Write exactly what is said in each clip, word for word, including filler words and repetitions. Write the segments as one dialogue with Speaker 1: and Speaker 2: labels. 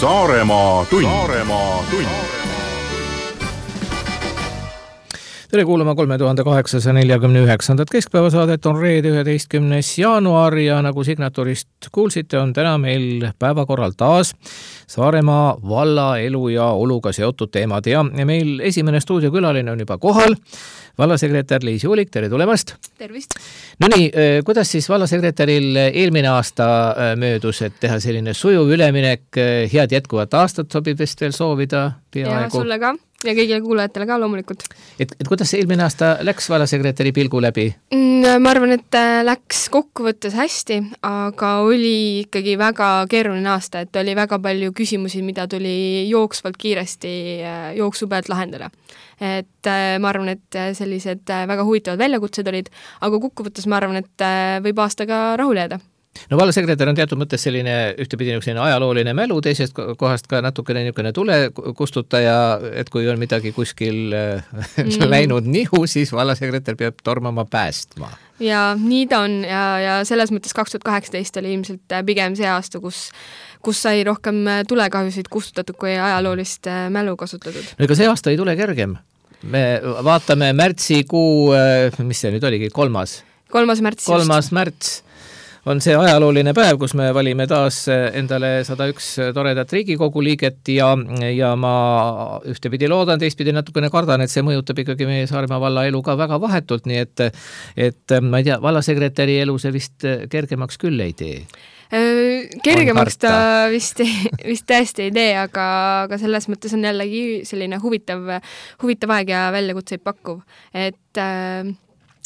Speaker 1: Saaremaa tund. Saaremaa tund.
Speaker 2: Tere kuulama kolme tuhande kaheksasada nelikümmend üheksa keskpäevasaadet on reede üheteistkümnes jaanuar ja nagu signatuurist kuulsite, on täna meil päevakorral taas Saaremaa valla elu ja oluga seotud teemad ja meil esimene stuudiokülaline on juba kohal. Vallasekretär Liisi Ulik, tere tulemast!
Speaker 3: Tervist!
Speaker 2: No nii, kuidas siis vallasekretäril eelmine aasta möödus, et teha selline sujuv üleminek, head jätkuvat aastat sobib vist veel soovida peaaegu?
Speaker 3: Ja sulle ka ja kõigile kuulajatele ka loomulikult.
Speaker 2: Et, et kuidas see eelmine aasta läks vallasekretäri pilgu läbi?
Speaker 3: Ma arvan, et läks kokkuvõttes hästi, aga oli ikkagi väga keeruline aasta, et oli väga palju küsimusi, mida tuli jooksvalt kiiresti jooksu pealt lahendada. Et ma arvan, et sellised väga huvitavad väljakutsed olid, aga kokkuvõttes ma arvan, et võib aastaga rahule jääda.
Speaker 2: No vallasekretär on teatud mõttes selline ühtepidi selline ajalooline mälu, teisest kohast ka natukene niisugune tule kustutaja, et kui on midagi kuskil mm. läinud nihu, siis vallasekretär peab tormama päästma.
Speaker 3: Ja nii ta on ja, ja selles mõttes kaks tuhat kaheksateist oli ilmselt pigem see aasta, kus, kus sai rohkem tulekahjusid kustutatud kui ajaloolist mälu kasutatud.
Speaker 2: No ega see aasta ei tule kergem. Me vaatame märtsikuu, mis see nüüd oligi, kolmas?
Speaker 3: Kolmas märts.
Speaker 2: Kolmas märts. On see ajalooline päev, kus me valime taas endale sada üks toredat Riigikogu liiget ja, ja ma ühtepidi loodan, teistpidi natukene kardan, et see mõjutab ikkagi meie Saaremaa valla elu ka väga vahetult, nii et, et ma ei tea, vallasekretäri elu see vist kergemaks küll ei tee.
Speaker 3: Kergemaks ta vist, vist tõesti ei tee, aga, aga selles mõttes on jällegi selline huvitav, huvitav aeg ja väljakutseid pakkuv, et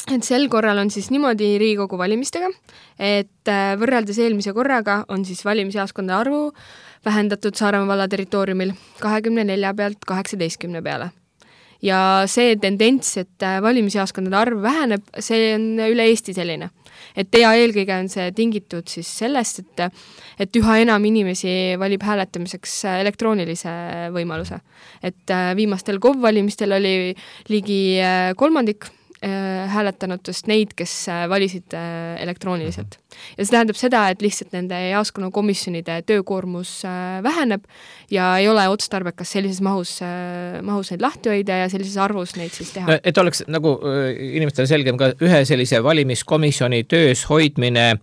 Speaker 3: Et sel korral on siis niimoodi Riigikogu valimistega, et võrreldes eelmise korraga on siis valimisjaoskonna arvu vähendatud Saaremaa valla territooriumil kahekümne nelja pealt kaheksateistkümne peale. Ja see tendents, et valimisjaoskonnade arv väheneb, see on üle Eesti selline. Et ja eelkõige on see tingitud siis sellest, et, et üha enam inimesi valib hääletamiseks elektroonilise võimaluse. Et viimastel K O V valimistel oli ligi kolmandik hääletanutest neid, kes valisid elektrooniliselt. Ja see tähendab seda, et lihtsalt nende jaoskonna komisjonide töökoormus väheneb ja ei ole otstarbekas sellises mahus, mahus neid lahti hoida ja sellises arvus neid siis teha.
Speaker 2: No, et oleks nagu inimestele selgem ka ühe sellise valimiskomisjoni töös hoidmine,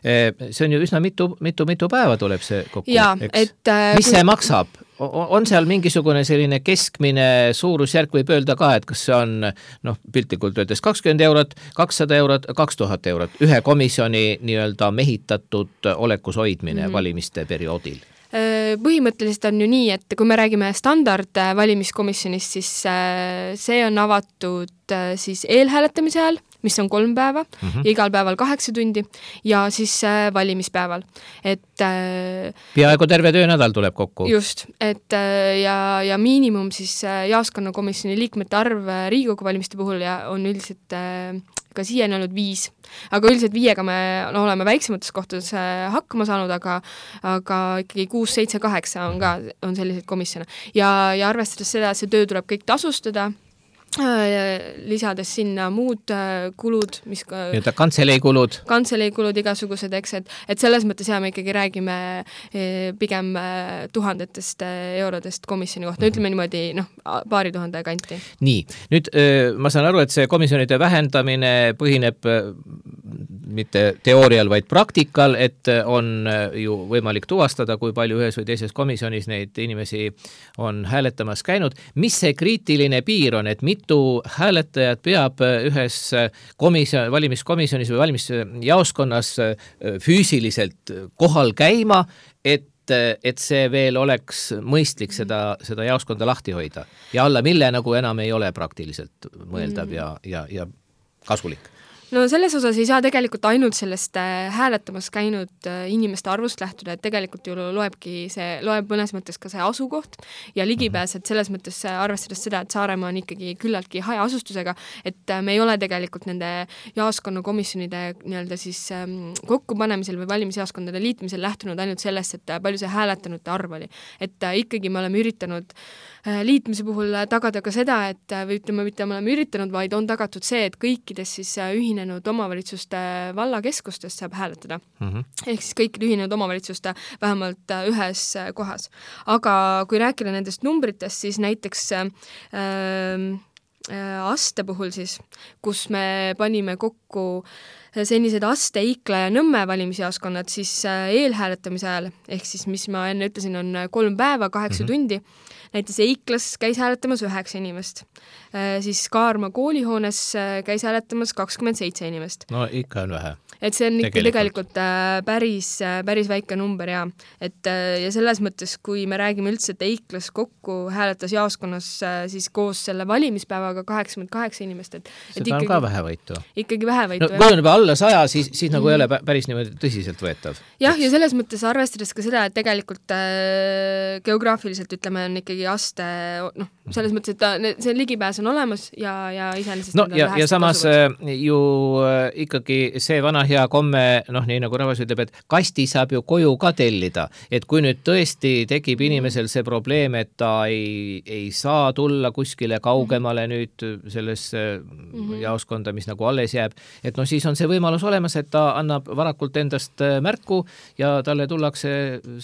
Speaker 2: see on ju üsna mitu, mitu, mitu päeva tuleb see kokku.
Speaker 3: Ja, et,
Speaker 2: mis kui... see maksab? On seal mingisugune selline keskmine suurusjärk võib öelda ka, et kas see on noh, piltlikult öeldes kakskümmend eurot, kakssada eurot, kaks tuhat eurot, ühe komisjoni nii-öelda mehitatud olekus hoidmine mm-hmm. valimiste perioodil?
Speaker 3: Põhimõtteliselt on ju nii, et kui me räägime standard valimiskomisjonist, siis see on avatud siis eelhääletamise ajal, mis on kolm päeva mm-hmm. ja igal päeval kaheksa tundi ja siis valimispäeval. Et,
Speaker 2: peaaegu terve töönädal tuleb kokku.
Speaker 3: Just, et ja, ja miinimum siis jaoskonnakomisjoni liikmete arv Riigikogu valimiste puhul ja on üldiselt ka siiani olnud viis. Aga üldiselt viiega me no, oleme väiksemates kohtades hakkama saanud, aga, aga ikkagi kuus, seitse, kaheksa on ka on selliseid komisjone. Ja, ja arvestades seda, et see töö tuleb kõik tasustada, lisades sinna muud kulud, mis ka...
Speaker 2: Nii-öelda kantseleekulud.
Speaker 3: Kantseleekulud igasugused, eks, et, et selles mõttes ja me ikkagi räägime pigem tuhandetest eurodest komisjoni kohta. Ütleme niimoodi, noh, paari tuhande kanti.
Speaker 2: Nii, nüüd ma saan aru, et see komisjonide vähendamine põhineb mitte teoorial, vaid praktikal, et on ju võimalik tuvastada, kui palju ühes või teises komisjonis neid inimesi on hääletamas käinud. Mis see kriitiline piir on, et mitu hääletajad peab ühes komisjon, valimiskomisjonis või valimisjaoskonnas füüsiliselt kohal käima, et, et see veel oleks mõistlik seda, seda jaoskonda lahti hoida ja alla mille nagu enam ei ole praktiliselt mõeldav ja, ja, ja kasulik.
Speaker 3: No selles osas ei saa tegelikult ainult sellest hääletamas käinud inimeste arvust lähtuda, et tegelikult ju loebki see, loeb mõnes mõttes ka see asukoht ja ligipääs, et selles mõttes arvestades seda, et Saaremaa on ikkagi küllaltki haja asustusega, et me ei ole tegelikult nende jaoskonnakomisjonide nii-öelda siis kokkupanemisel või valimisjaoskondade liitmisel lähtunud ainult sellest, et palju see hääletanute arv oli. Et ikkagi me oleme üritanud liitmise puhul tagada ka seda, et või ütleme, mitte me oleme üritanud, vaid on tagatud see, et kõikides siis ühinenud omavalitsuste vallakeskustest saab hääletada. Mm-hmm. Ehk siis kõikide ühinenud omavalitsuste vähemalt ühes kohas. Aga kui rääkida nendest numbritest, siis näiteks äh, äh, aste puhul siis, kus me panime kokku senised Aste, Ikla ja Nõmme valimisjaoskonnad, siis eelhääletamise ajal, ehk siis mis ma enne ütlesin, on kolm päeva, kaheksa mm-hmm. tundi. Näiteks Eiklas käis hääletamas üheksa inimest. Siis Kaarma koolihoones käis hääletamas kakskümmend seitse inimest.
Speaker 2: No ikka on vähe.
Speaker 3: Et see on ikka tegelikult, tegelikult päris, päris väike number ja, et, ja selles mõttes, kui me räägime üldse, et Eiklas kokku hääletas jaoskonnas siis koos selle valimispäevaga kaheksakümmend kaheksa inimest. Et,
Speaker 2: seda
Speaker 3: et ikkagi,
Speaker 2: on ka vähevõitu.
Speaker 3: Ikkagi vähevõitu.
Speaker 2: No, kui on juba alla saja, siis, siis nagu mm. ei ole päris niimoodi tõsiselt võetav.
Speaker 3: Jah, ja selles mõttes arvestades ka seda, et tegelikult äh, geograafiliselt ütleme, on ikkagi Aste, noh, selles mõttes, et ta, see ligipääs on olemas ja, ja iseenesest
Speaker 2: no, ja, ja samas kasuvad. Ju ikkagi see vana hea komme, noh, nii nagu rahvas ütleb, et kasti saab ju koju ka tellida, et kui nüüd tõesti tekib inimesel see probleem, et ta ei, ei saa tulla kuskile kaugemale nüüd selles mm-hmm. jaoskonda, mis nagu alles jääb, et noh, siis on see võimalus olemas, et ta annab varakult endast märku ja talle tullakse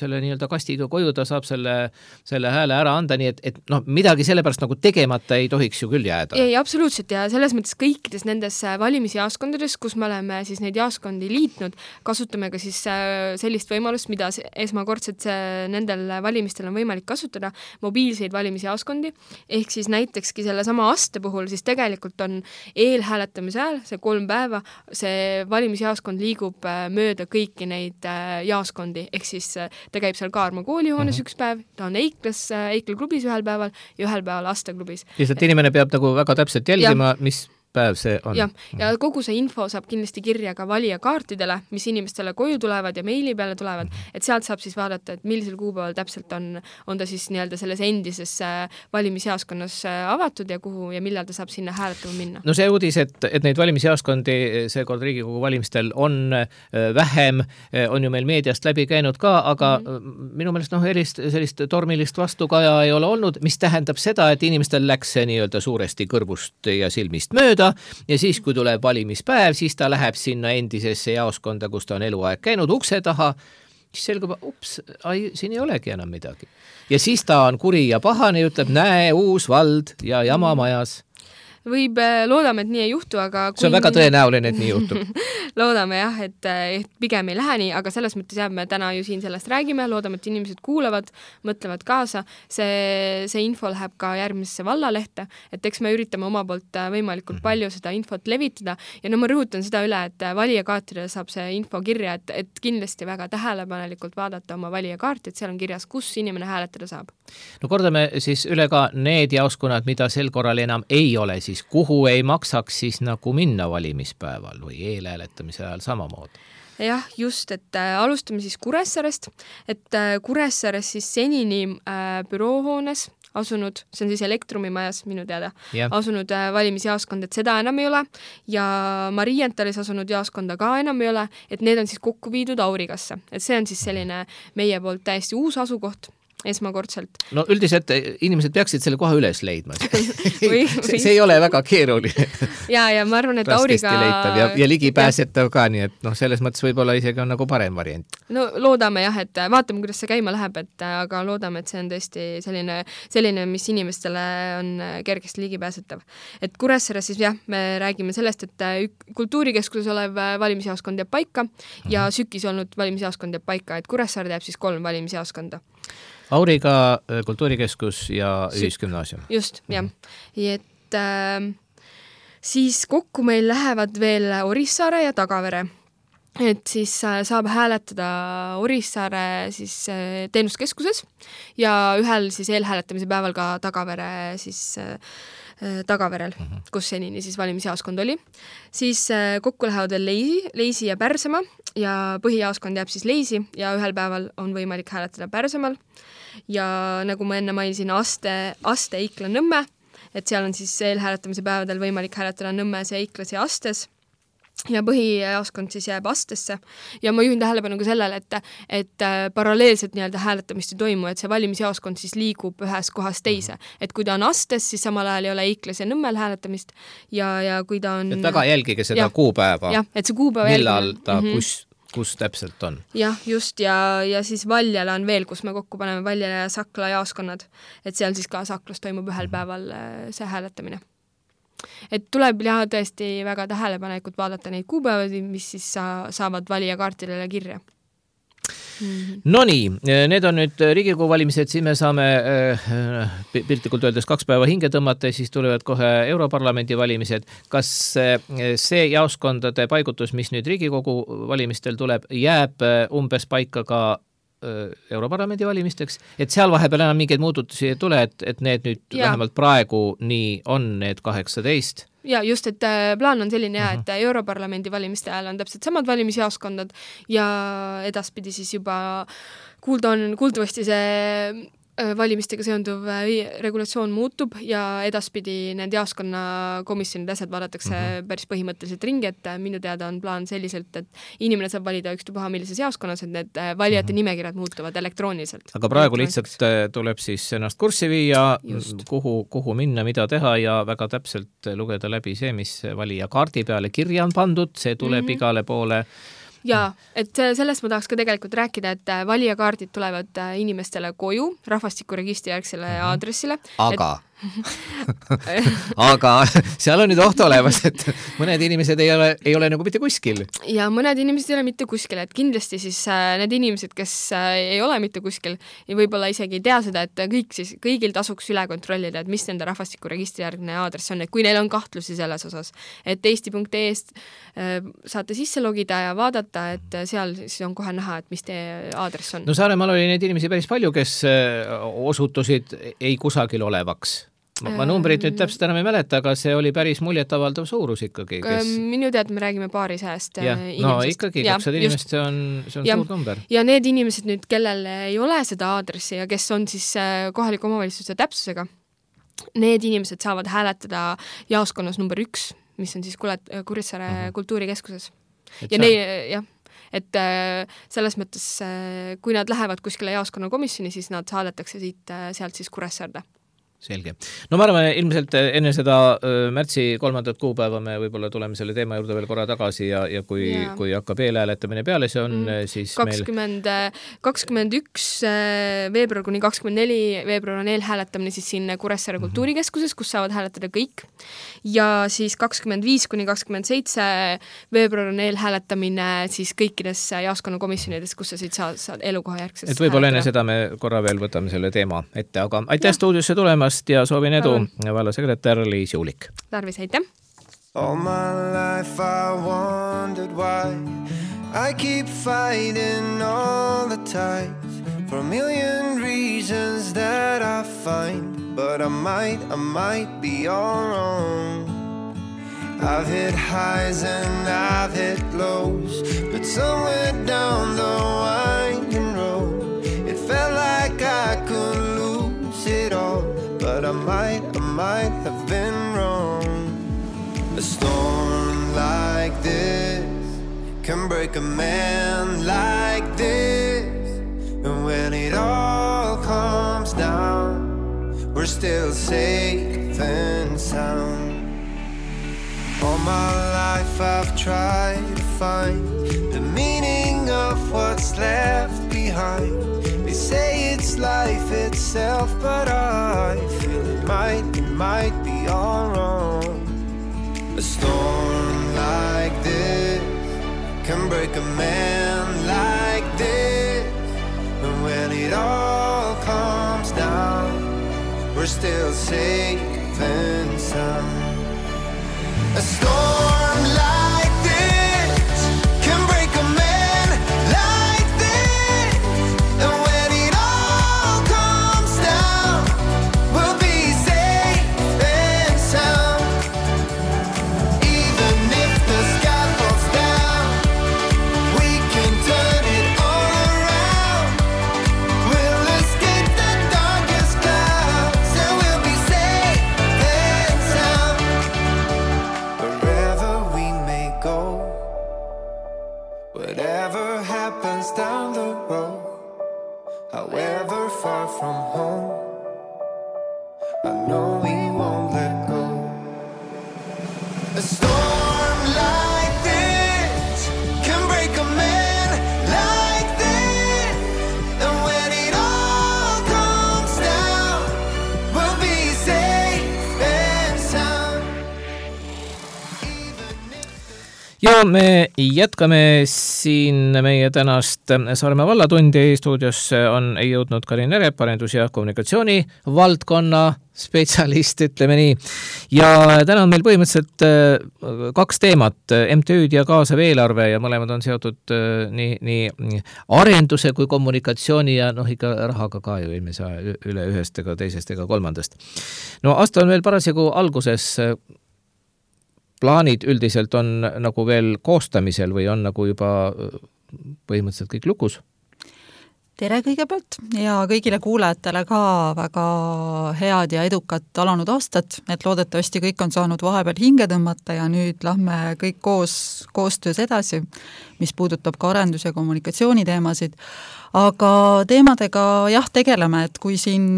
Speaker 2: selle nii-öelda kastiga koju, ta saab selle, selle hääle ära anda, nii et, et noh, midagi sellepärast nagu tegemata ei tohiks ju küll jääda.
Speaker 3: Ei, absoluutselt ja selles mõttes kõikides nendes valimisjaoskondades, kus me oleme siis neid jaoskondi liitnud, kasutame ka siis sellist võimalust, mida esmakordselt nendel valimistel on võimalik kasutada, mobiilseid valimisjaoskondi, ehk siis näitekski selle sama Aste puhul siis tegelikult on eelhääletamise ajal, see kolm päeva, see valimisjaoskond liigub mööda kõiki neid jaoskondi, ehk siis ta käib seal Kaarma koolihoones mm-hmm. üks päev, ta on Eiklas, Eikla klubis ühel päeval ja ühel päeval Aste klubis.
Speaker 2: Lihtsalt inimene peab nagu väga täpselt jälgima, ja. mis päev see on.
Speaker 3: Ja, ja kogu see info saab kindlasti kirja ka valijakaartidele, mis inimestele koju tulevad ja meili peale tulevad, et sealt saab siis vaadata, et millisel kuupäeval täpselt on, on ta siis nii-öelda selles endises valimisjaoskonnas avatud ja kuhu ja millal ta saab sinna hääletama minna.
Speaker 2: No see uudis, et, et neid valimisjaoskondi seekord Riigikogu valimistel on vähem, on ju meil meediast läbi käinud ka, aga mm-hmm. minu meelest noh, erist, sellist tormilist vastukaja ei ole olnud, mis tähendab seda, et inimestel läks see nii-öelda suuresti kõrvust ja silmist mööda ja siis, kui tuleb valimispäev, siis ta läheb sinna endisesse jaoskonda, kus ta on eluaeg käinud ukse taha, siis selgub, ups, ai, siin ei olegi enam midagi. Ja siis ta on kuri ja pahane ja ütleb, näe, uus vald ja jama majas.
Speaker 3: Võib, loodame, et nii ei juhtu, aga
Speaker 2: see on väga tõenäoline, et nii juhtub.
Speaker 3: Loodame jah, et, et pigem ei lähe nii, aga selles mõttes jah, me täna ju siin sellest räägime, loodame, et inimesed kuulavad, mõtlevad kaasa, see, see info läheb ka järgmisesse vallalehte, et eks me üritame oma poolt võimalikult palju seda infot levitada ja no ma rõhutan seda üle, et valijakaartidele saab see info kirja, et, et kindlasti väga tähelepanelikult vaadata oma valijakaarti, et seal on kirjas, kus inimene hääletada saab.
Speaker 2: No kordame siis üle ka need jaoskonnad, mida sel korral enam ei ole, siis kuhu ei maksaks siis nagu minna valimispäeval või eelhääletamise ajal samamoodi?
Speaker 3: Jah, just, et äh, alustame siis Kuressaarest, et äh, Kuressaares siis senini äh, büroohoones asunud, see on siis Elektromimajas minu teada, yeah. asunud äh, valimisjaoskond, et seda enam ei ole ja Marientalis asunud jaoskonda ka enam ei ole, et need on siis kokku viidud Aurigasse, et see on siis selline meie poolt täiesti uus asukoht esmakordselt.
Speaker 2: No üldiselt inimesed peaksid selle koha üles leidma. või, see, see ei ole väga keeruline.
Speaker 3: ja, ja ma arvan, et Auriga...
Speaker 2: ja, ja ligipääsetav ka, nii et noh, selles mõttes võib-olla isegi on nagu parem variant.
Speaker 3: No loodame jah, et vaatame, kuidas see käima läheb, et aga loodame, et see on tõesti selline, selline, mis inimestele on kergesti ligipääsetav. Et Kuressaares siis jah, me räägime sellest, et kultuurikeskuses olev valimisjaoskond jääb paika mm-hmm. ja Sükis olnud valimisjaoskond jääb paika, et Kuressaare jääb siis kolm valimisjaoskonda.
Speaker 2: Auriga, kultuurikeskus ja ühisgümnaasium.
Speaker 3: Just, jah. Et äh, siis kokku meil lähevad veel Orissaare ja Tagavere. Et siis äh, saab hääletada Orissaare siis äh, teenuskeskuses ja ühel siis eelhääletamise päeval ka Tagavere siis äh, Tagaverel, uh-huh. kus senini siis valimisjaoskond oli. Siis äh, kokku lähevad veel Leisi, Leisi ja Pärsemaa ja põhijaoskond jääb siis Leisi ja ühel päeval on võimalik hääletada Pärsemaal. Ja nagu ma enne mainisin, Aste, Aste, Ikla, Nõmme, et seal on siis eelhääletamise päevadel võimalik hääletada Nõmmes ja Iklas ja Astes. ja põhijaoskond siis jääb astesse ja ma juhin tähelepanu ka sellele, et, et paralleelselt nii-öelda hääletamist ei toimu, et see valimisjaoskond siis liigub ühes kohas teise. Et kui ta on astes, siis samal ajal ei ole Iklas ja Nõmmel hääletamist ja, ja kui ta on... Et
Speaker 2: väga jälgige seda ja, kuupäeva.
Speaker 3: Jah, et see kuupäeva
Speaker 2: millal
Speaker 3: jälgige.
Speaker 2: ta mm-hmm. kus, kus täpselt on.
Speaker 3: Jah, just ja, ja siis Valjala on veel, kus me kokku paneme Valjala ja Sakla jaoskonnad, et seal siis ka Saklas toimub ühel päeval see hääletamine. Et tuleb jah tõesti väga tähelepanelikult vaadata neid kuupäevad, mis siis sa, saavad valijakaartidele kirja. Mm-hmm. No nii, need on nüüd Riigikogu valimised, siis me saame äh, piltlikult öeldes kaks päeva hinge tõmmata ja siis tulevad kohe Europarlamendi valimised. Kas see jaoskondade paigutus, mis nüüd Riigikogu valimistel tuleb, jääb umbes paika ka Europarlamendi valimisteks, et seal vahepeal enam mingeid muututusi ei tule, et, et need nüüd ja. vähemalt praegu nii on need kaheksateist. Ja just, et plaan on selline ja, et Europarlamendi valimiste ajal on täpselt samad valimisjaoskondad ja edaspidi siis juba kuulda on, kuuldavasti see valimistega seonduv regulatsioon muutub ja edaspidi need jaoskonna komisjonid asjad vaadatakse mm-hmm. päris põhimõtteliselt ringi, et minu teada on plaan selliselt, et inimene saab valida ükstupuha millises jaoskonnas, et need valijate mm-hmm. nimekirjad muutuvad elektrooniliselt.
Speaker 2: Aga praegu lihtsalt tuleb siis ennast kurssi viia, kuhu, kuhu minna, mida teha ja väga täpselt lugeda läbi see, mis valija kaardi peale kirja on pandud, see tuleb mm-hmm. igale poole.
Speaker 3: Ja, et sellest ma tahaks ka tegelikult rääkida, et valijakaardid tulevad inimestele koju, rahvastikuregistri järgsele mm-hmm. aadressile.
Speaker 2: Aga... Et... aga seal on nüüd oht olemas, et mõned inimesed ei ole, ei ole nagu mitte kuskil.
Speaker 3: Ja mõned inimesed ei ole mitte kuskil, et kindlasti siis need inimesed, kes ei ole mitte kuskil ja võib-olla isegi ei tea seda, et kõik siis, kõigil tasuks üle kontrollida, et mis nende rahvastikuregistri järgne aadress on, et kui neil on kahtlusi selles osas, et eesti punkt ee-st saate sisse logida ja vaadata, et seal siis on kohe näha, et mis teie aadress on.
Speaker 2: No Saaremaal oli neid inimesi päris palju, kes osutusid ei kusagil olevaks. Ma, ma numbrid nüüd täpselt enam ei mäleta, aga see oli päris muljetavaldav suurus ikkagi. Kes...
Speaker 3: Minu tead, me räägime paari sajast
Speaker 2: ja, inimesest. No ikkagi, kakssada inimest, see on, see on ja, suur number.
Speaker 3: Ja need inimesed nüüd, kellel ei ole seda aadressi ja kes on siis kohaliku omavalitsuse täpsusega, need inimesed saavad hääletada jaoskonnas number üks, mis on siis Kuressaare uh-huh. kultuurikeskuses. Et ja neil, jah, et selles mõttes, kui nad lähevad kuskile jaoskonna komisjoni, siis nad saadetakse siit, sealt siis Kuressaarde.
Speaker 2: Selge. No ma arvan, ilmselt enne seda märtsi kolmandat kuupäeva me võib-olla tuleme selle teema juurde veel korra tagasi ja, ja kui, ja. kui hakkab eelhääletamine peale, see on mm. siis
Speaker 3: kakskümmend, meil... kakskümmend üks veebruar kuni kakskümmend neli veebruar on eelhääletamine siis siin Kuressaare mm-hmm. kultuurikeskuses, kus saavad hääletada kõik. Ja siis kakskümmend viis kuni kakskümmend seitse veebruar on eelhääletamine siis kõikides jaoskonna komisjonides, kus sa siit saad, saad elukoha järgses.
Speaker 2: Et võib-olla enne seda me korra veel võtame selle teema ette, aga aitäh stuudiosse tulemas ja soovin edu vallasekretär Liis Juulik.
Speaker 3: Tarvis, aitäh!
Speaker 4: All my life I wondered why I keep fighting all the times for a million reasons that I find, but I might, I might be all wrong. I've hit highs and I've hit lows, but somewhere down the winding road it felt like I could lose it all. But I might, I might have been wrong. A storm like this can break a man like this. And when it all comes down, we're still safe and sound. All my life I've tried to find the meaning of what's left behind. They say it's life itself, but I feel it might, it might be all wrong. A storm like this can break a man like this. And when it all comes down, we're still safe and sound. A storm like this can break a man like this. And when it all comes down, we'll be safe and sound. Even if the sky falls down, we can turn it all around. We'll escape the darkest clouds and we'll be safe and sound.
Speaker 2: Ja me jätkame siin meie tänast Saaremaa vallatundi. Stuudios on jõudnud Karin Erep, arendus- ja kommunikatsiooni valdkonna spetsialist, ütleme nii. Ja täna on meil põhimõtteliselt kaks teemat, M T Ü'd ja kaasav eelarve, ja mõlemad on seotud nii, nii arenduse kui kommunikatsiooni ja noh, ikka rahaga ka ju ei saa üle ühest ega teisest ega kolmandast. No aasta on veel parasjagu alguses. Plaanid üldiselt on nagu veel koostamisel või on nagu juba põhimõtteliselt kõik lukus?
Speaker 5: Tere kõigepealt ja kõigile kuulajatele ka väga head ja edukat alanud aastat, et loodetavasti kõik on saanud vahepeal hinge tõmmata ja nüüd lähme kõik koos koostöös edasi, mis puudutab ka arendus- ja kommunikatsiooni teemasid. Aga teemadega jah tegeleme, et kui siin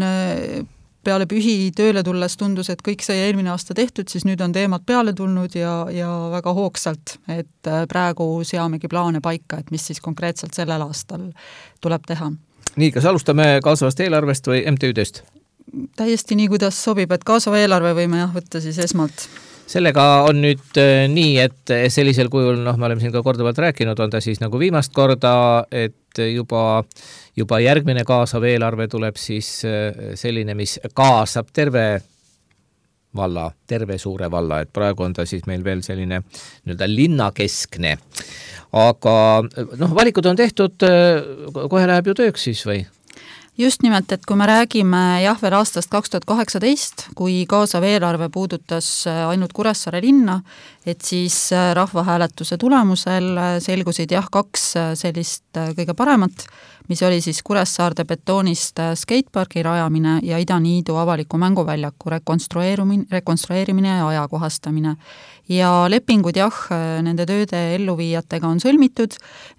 Speaker 5: peale pühi tööle tulles tundus, et kõik sai eelmine aasta tehtud, siis nüüd on teemad peale tulnud ja, ja väga hoogsalt, et praegu seamegi plaane paika, et mis siis konkreetselt sellel aastal tuleb teha.
Speaker 2: Nii, kas alustame kaasavast eelarvest või M T Ü'dest?
Speaker 5: Täiesti nii, kuidas sobib, et kaasava eelarve võime jah võtta siis esmalt.
Speaker 2: Sellega on nüüd nii, et sellisel kujul, noh, me oleme siin ka korduvalt rääkinud, on ta siis nagu viimast korda, et juba, juba järgmine kaasav eelarve tuleb siis selline, mis kaasab terve valla, terve suure valla, et praegu on ta siis meil veel selline nii-öelda linnakeskne. Aga noh, valikud on tehtud, kohe läheb ju tööks siis või?
Speaker 5: Just nimelt, et kui me räägime jah veel aastast kaks tuhat kaheksateist, kui kaasav eelarve puudutas ainult Kuressaare linna, et siis rahvahääletuse tulemusel selgusid jah kaks sellist kõige paremat, mis oli siis Kuressaarde betoonist skateparki rajamine ja Idaniidu avaliku mänguväljaku rekonstrueerimine, rekonstrueerimine ja ajakohastamine. Ja lepingud jah, nende tööde elluviijatega on sõlmitud,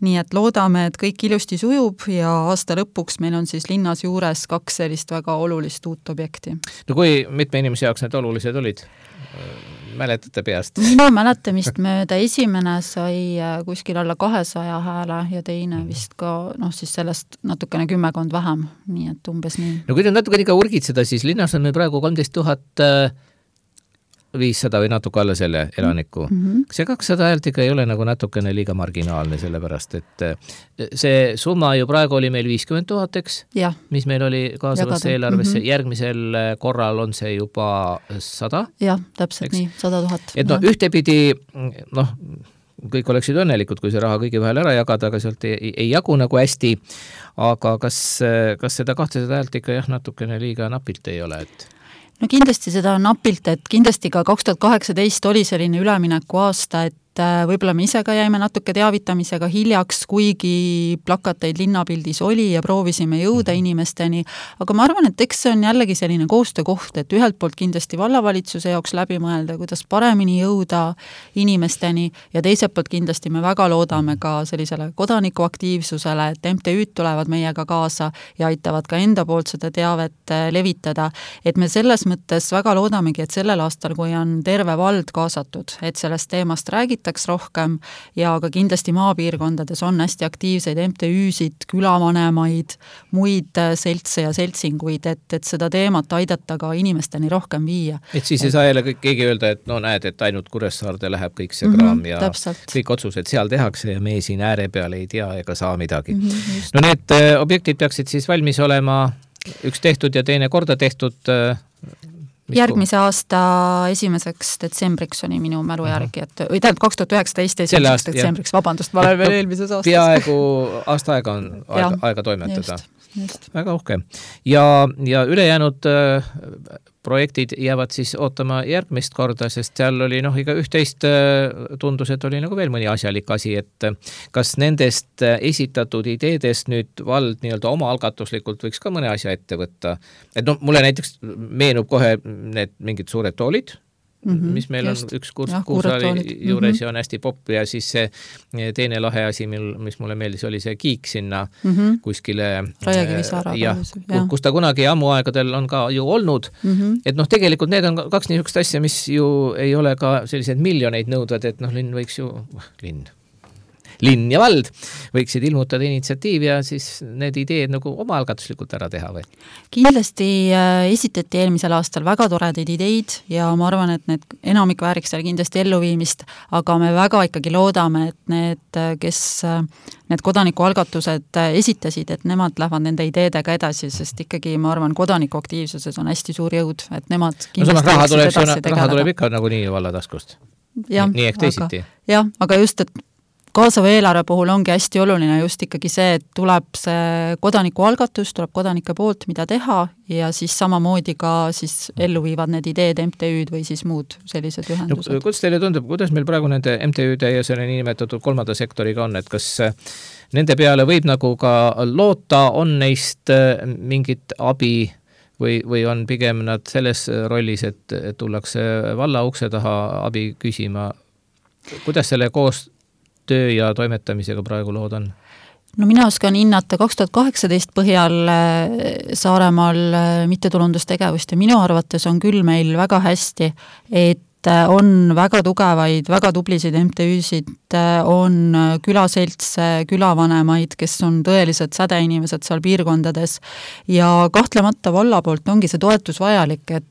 Speaker 5: nii et loodame, et kõik ilusti sujub ja aasta lõpuks meil on siis linnas juures kaks sellist väga olulist uut objekti.
Speaker 2: No kui mitme inimese jaoks need olulised olid? Mäletate peast?
Speaker 5: Minu mäletamist mööda esimene sai kuskil alla kahesaja hääle ja teine vist ka noh, siis sellest natukene kümmekond vähem, nii et umbes nii. No
Speaker 2: kui nüüd natuke ikka urgitseda, siis linnas on meil praegu kolmteist tuhat viissada või natuke alla selle elaniku. Mm-hmm. See kakssada häält ikka ei ole nagu natukene liiga marginaalne, sellepärast, et see summa ju praegu oli meil viiskümmend tuhat, eks?
Speaker 5: Ja.
Speaker 2: Mis meil oli kaasavasse eelarvesse. Mm-hmm. Järgmisel korral on see juba sada?
Speaker 5: Jah, täpselt eks? Nii, sada tuhat.
Speaker 2: Et no ühtepidi, noh, kõik oleksid õnnelikud, kui see raha kõigi vahel ära jagada, aga sealt ei, ei jagu nagu hästi. Aga kas, kas seda kahtesada häält ikka jah, natukene liiga napilt ei ole, et...
Speaker 5: No kindlasti seda on napilt, et kindlasti ka kaks tuhat kaheksateist oli selline ülemineku aasta, et võib-olla me ise ka jäime natuke teavitamisega hiljaks, kuigi plakateid linnapildis oli ja proovisime jõuda inimesteni, aga ma arvan, et eks see on jällegi selline koostöökoht, et ühelt poolt kindlasti vallavalitsuse jaoks läbi mõelda, kuidas paremini jõuda inimesteni ja teiselt poolt kindlasti me väga loodame ka sellisele kodanikuaktiivsusele, et M T Ü'd tulevad meiega kaasa ja aitavad ka enda poolt seda teavet levitada, et me selles mõttes väga loodamegi, et sellel aastal, kui on terve vald kaasatud, et sellest teemast räägitakse rohkem ja ka kindlasti maapiirkondades on hästi aktiivseid M T Ü'sid, külavanemaid, muid seltse ja seltsinguid, et, et seda teemat aidata ka inimesteni rohkem viia.
Speaker 2: Et siis ei saa jälle keegi öelda, et no näed, et ainult Kuressaarde läheb kõik see kraam mm-hmm, ja täpselt. Kõik otsused seal tehakse ja me siin ääre peal ei tea ega saa midagi. Mm-hmm, no need objektid peaksid siis valmis olema üks tehtud ja teine korda tehtud.
Speaker 5: Järgmise aasta esimeseks detsembriks oli minu mälu järgi, et või tähendab kaks tuhat üheksateist esimeseks detsembriks, vabandust, ma olen veel eelmises aastas.
Speaker 2: Peaaegu aasta aega on aega, aega toimetada.
Speaker 5: Just, just.
Speaker 2: Väga uhke. Ja, ja ülejäänud äh, projektid jäävad siis ootama järgmist korda, sest seal oli noh, iga üht-teist äh, tundus, et oli nagu veel mõni asjalik asi, et kas nendest esitatud ideedest nüüd vald nii-öelda oma algatuslikult võiks ka mõne asja ette võtta. Et noh, mulle näiteks meenub kohe need mingid suured toolid, mm-hmm, mis meil just. On üks kuurs, ja, kuursaali juures mm-hmm. ja on hästi popp ja siis see teine lahe asi, mil, mis mulle meeldis, oli see kiik sinna mm-hmm. kuskile
Speaker 5: Rajakivisaara
Speaker 2: ja, kus ta kunagi ammu aegadel on ka ju olnud, mm-hmm. et noh, tegelikult need on kaks niisugust asja, mis ju ei ole ka sellised miljoneid nõudvad, et noh, linn võiks ju, linn linn ja vald võiksid ilmutada initsiatiivi ja siis need ideed nagu omaalgatuslikult ära teha või?
Speaker 5: Kindlasti esitati eelmisel aastal väga toredaid ideid ja ma arvan, et need enamik vääriks seal kindlasti elluviimist, aga me väga ikkagi loodame, et need, kes need kodanikualgatused esitasid, et nemad lähevad nende ideedega edasi, sest ikkagi ma arvan, kodanikuaktiivsuses on hästi suur jõud, et nemad kindlasti
Speaker 2: no, raha, tuleb, raha tuleb ikka nagu nii valla taskust. Ja, nii ehk teisiti.
Speaker 5: Jah, aga just, et kaasava eelarve puhul ongi hästi oluline just ikkagi see, et tuleb see kodanikualgatus, tuleb kodanike poolt, mida teha ja siis samamoodi ka siis ellu viivad need ideed M T Ü'd või siis muud sellised ühendused.
Speaker 2: No, kuidas teile tundub, kuidas meil praegu nende M T Ü'de ja selle niinimetatud kolmanda sektoriga on, et kas nende peale võib nagu ka loota, on neist mingit abi või, või on pigem nad selles rollis, et, et tullakse valla ukse taha abi küsima? Kuidas selle koos töö ja toimetamisega praegu lood on?
Speaker 5: No mina oskan hinnata kaks tuhat kaheksateist põhjal Saaremaal mittetulundustegevust ja minu arvates on küll meil väga hästi, et on väga tugevaid, väga tublisid M T Ü'sid, on külaselts, külavanemaid, kes on tõelised sädeinimesed seal piirkondades ja kahtlemata valla poolt ongi see toetus vajalik, et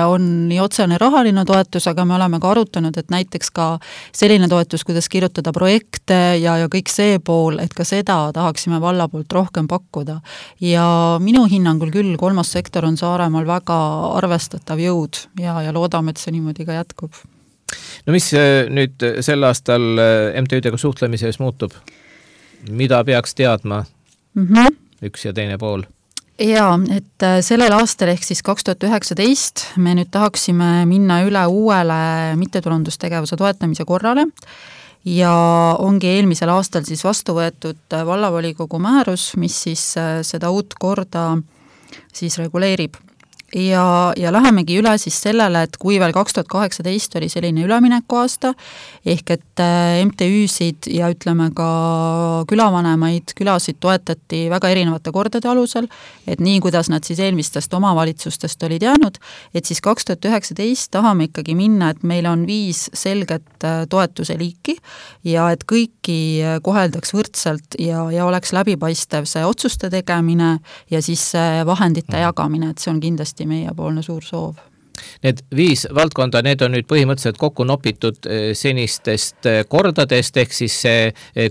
Speaker 5: on nii otsene rahaline toetus, aga me oleme ka arutanud, et näiteks ka selline toetus, kuidas kirjutada projekte ja, ja kõik see pool, et ka seda tahaksime valla poolt rohkem pakkuda. Ja minu hinnangul küll kolmas sektor on Saaremaal väga arvestatav jõud ja, ja loodame, et see niimoodi ka jätkub.
Speaker 2: No mis nüüd sel aastal M T Ü'dega suhtlemises muutub? Mida peaks teadma mm-hmm. üks ja teine pool?
Speaker 5: Jaa, et sellel aastal ehk siis kaks tuhat üheksateist me nüüd tahaksime minna üle uuele mittetulundustegevuse toetamise korrale ja ongi eelmisel aastal siis vastu võetud vallavolikogu määrus, mis siis seda uut korda siis reguleerib. Ja, ja lähemegi üle siis sellele, et kui veel kaks tuhat kaheksateist oli selline ülemineku aasta, ehk et M T Ü'sid ja ütleme ka külavanemaid, külasid toetati väga erinevate kordade alusel, et nii, kuidas nad siis eelmistest omavalitsustest olid jäänud, et siis kaks tuhat üheksateist tahame ikkagi minna, et meil on viis selget toetuse liiki ja et kõiki koheldaks võrdselt ja, ja oleks läbipaistev see otsuste tegemine ja siis vahendite jagamine, et see on kindlasti meiepoolne suur soov.
Speaker 2: Need viis valdkonda, need on nüüd põhimõtteliselt kokku nopitud senistest kordadest, ehk siis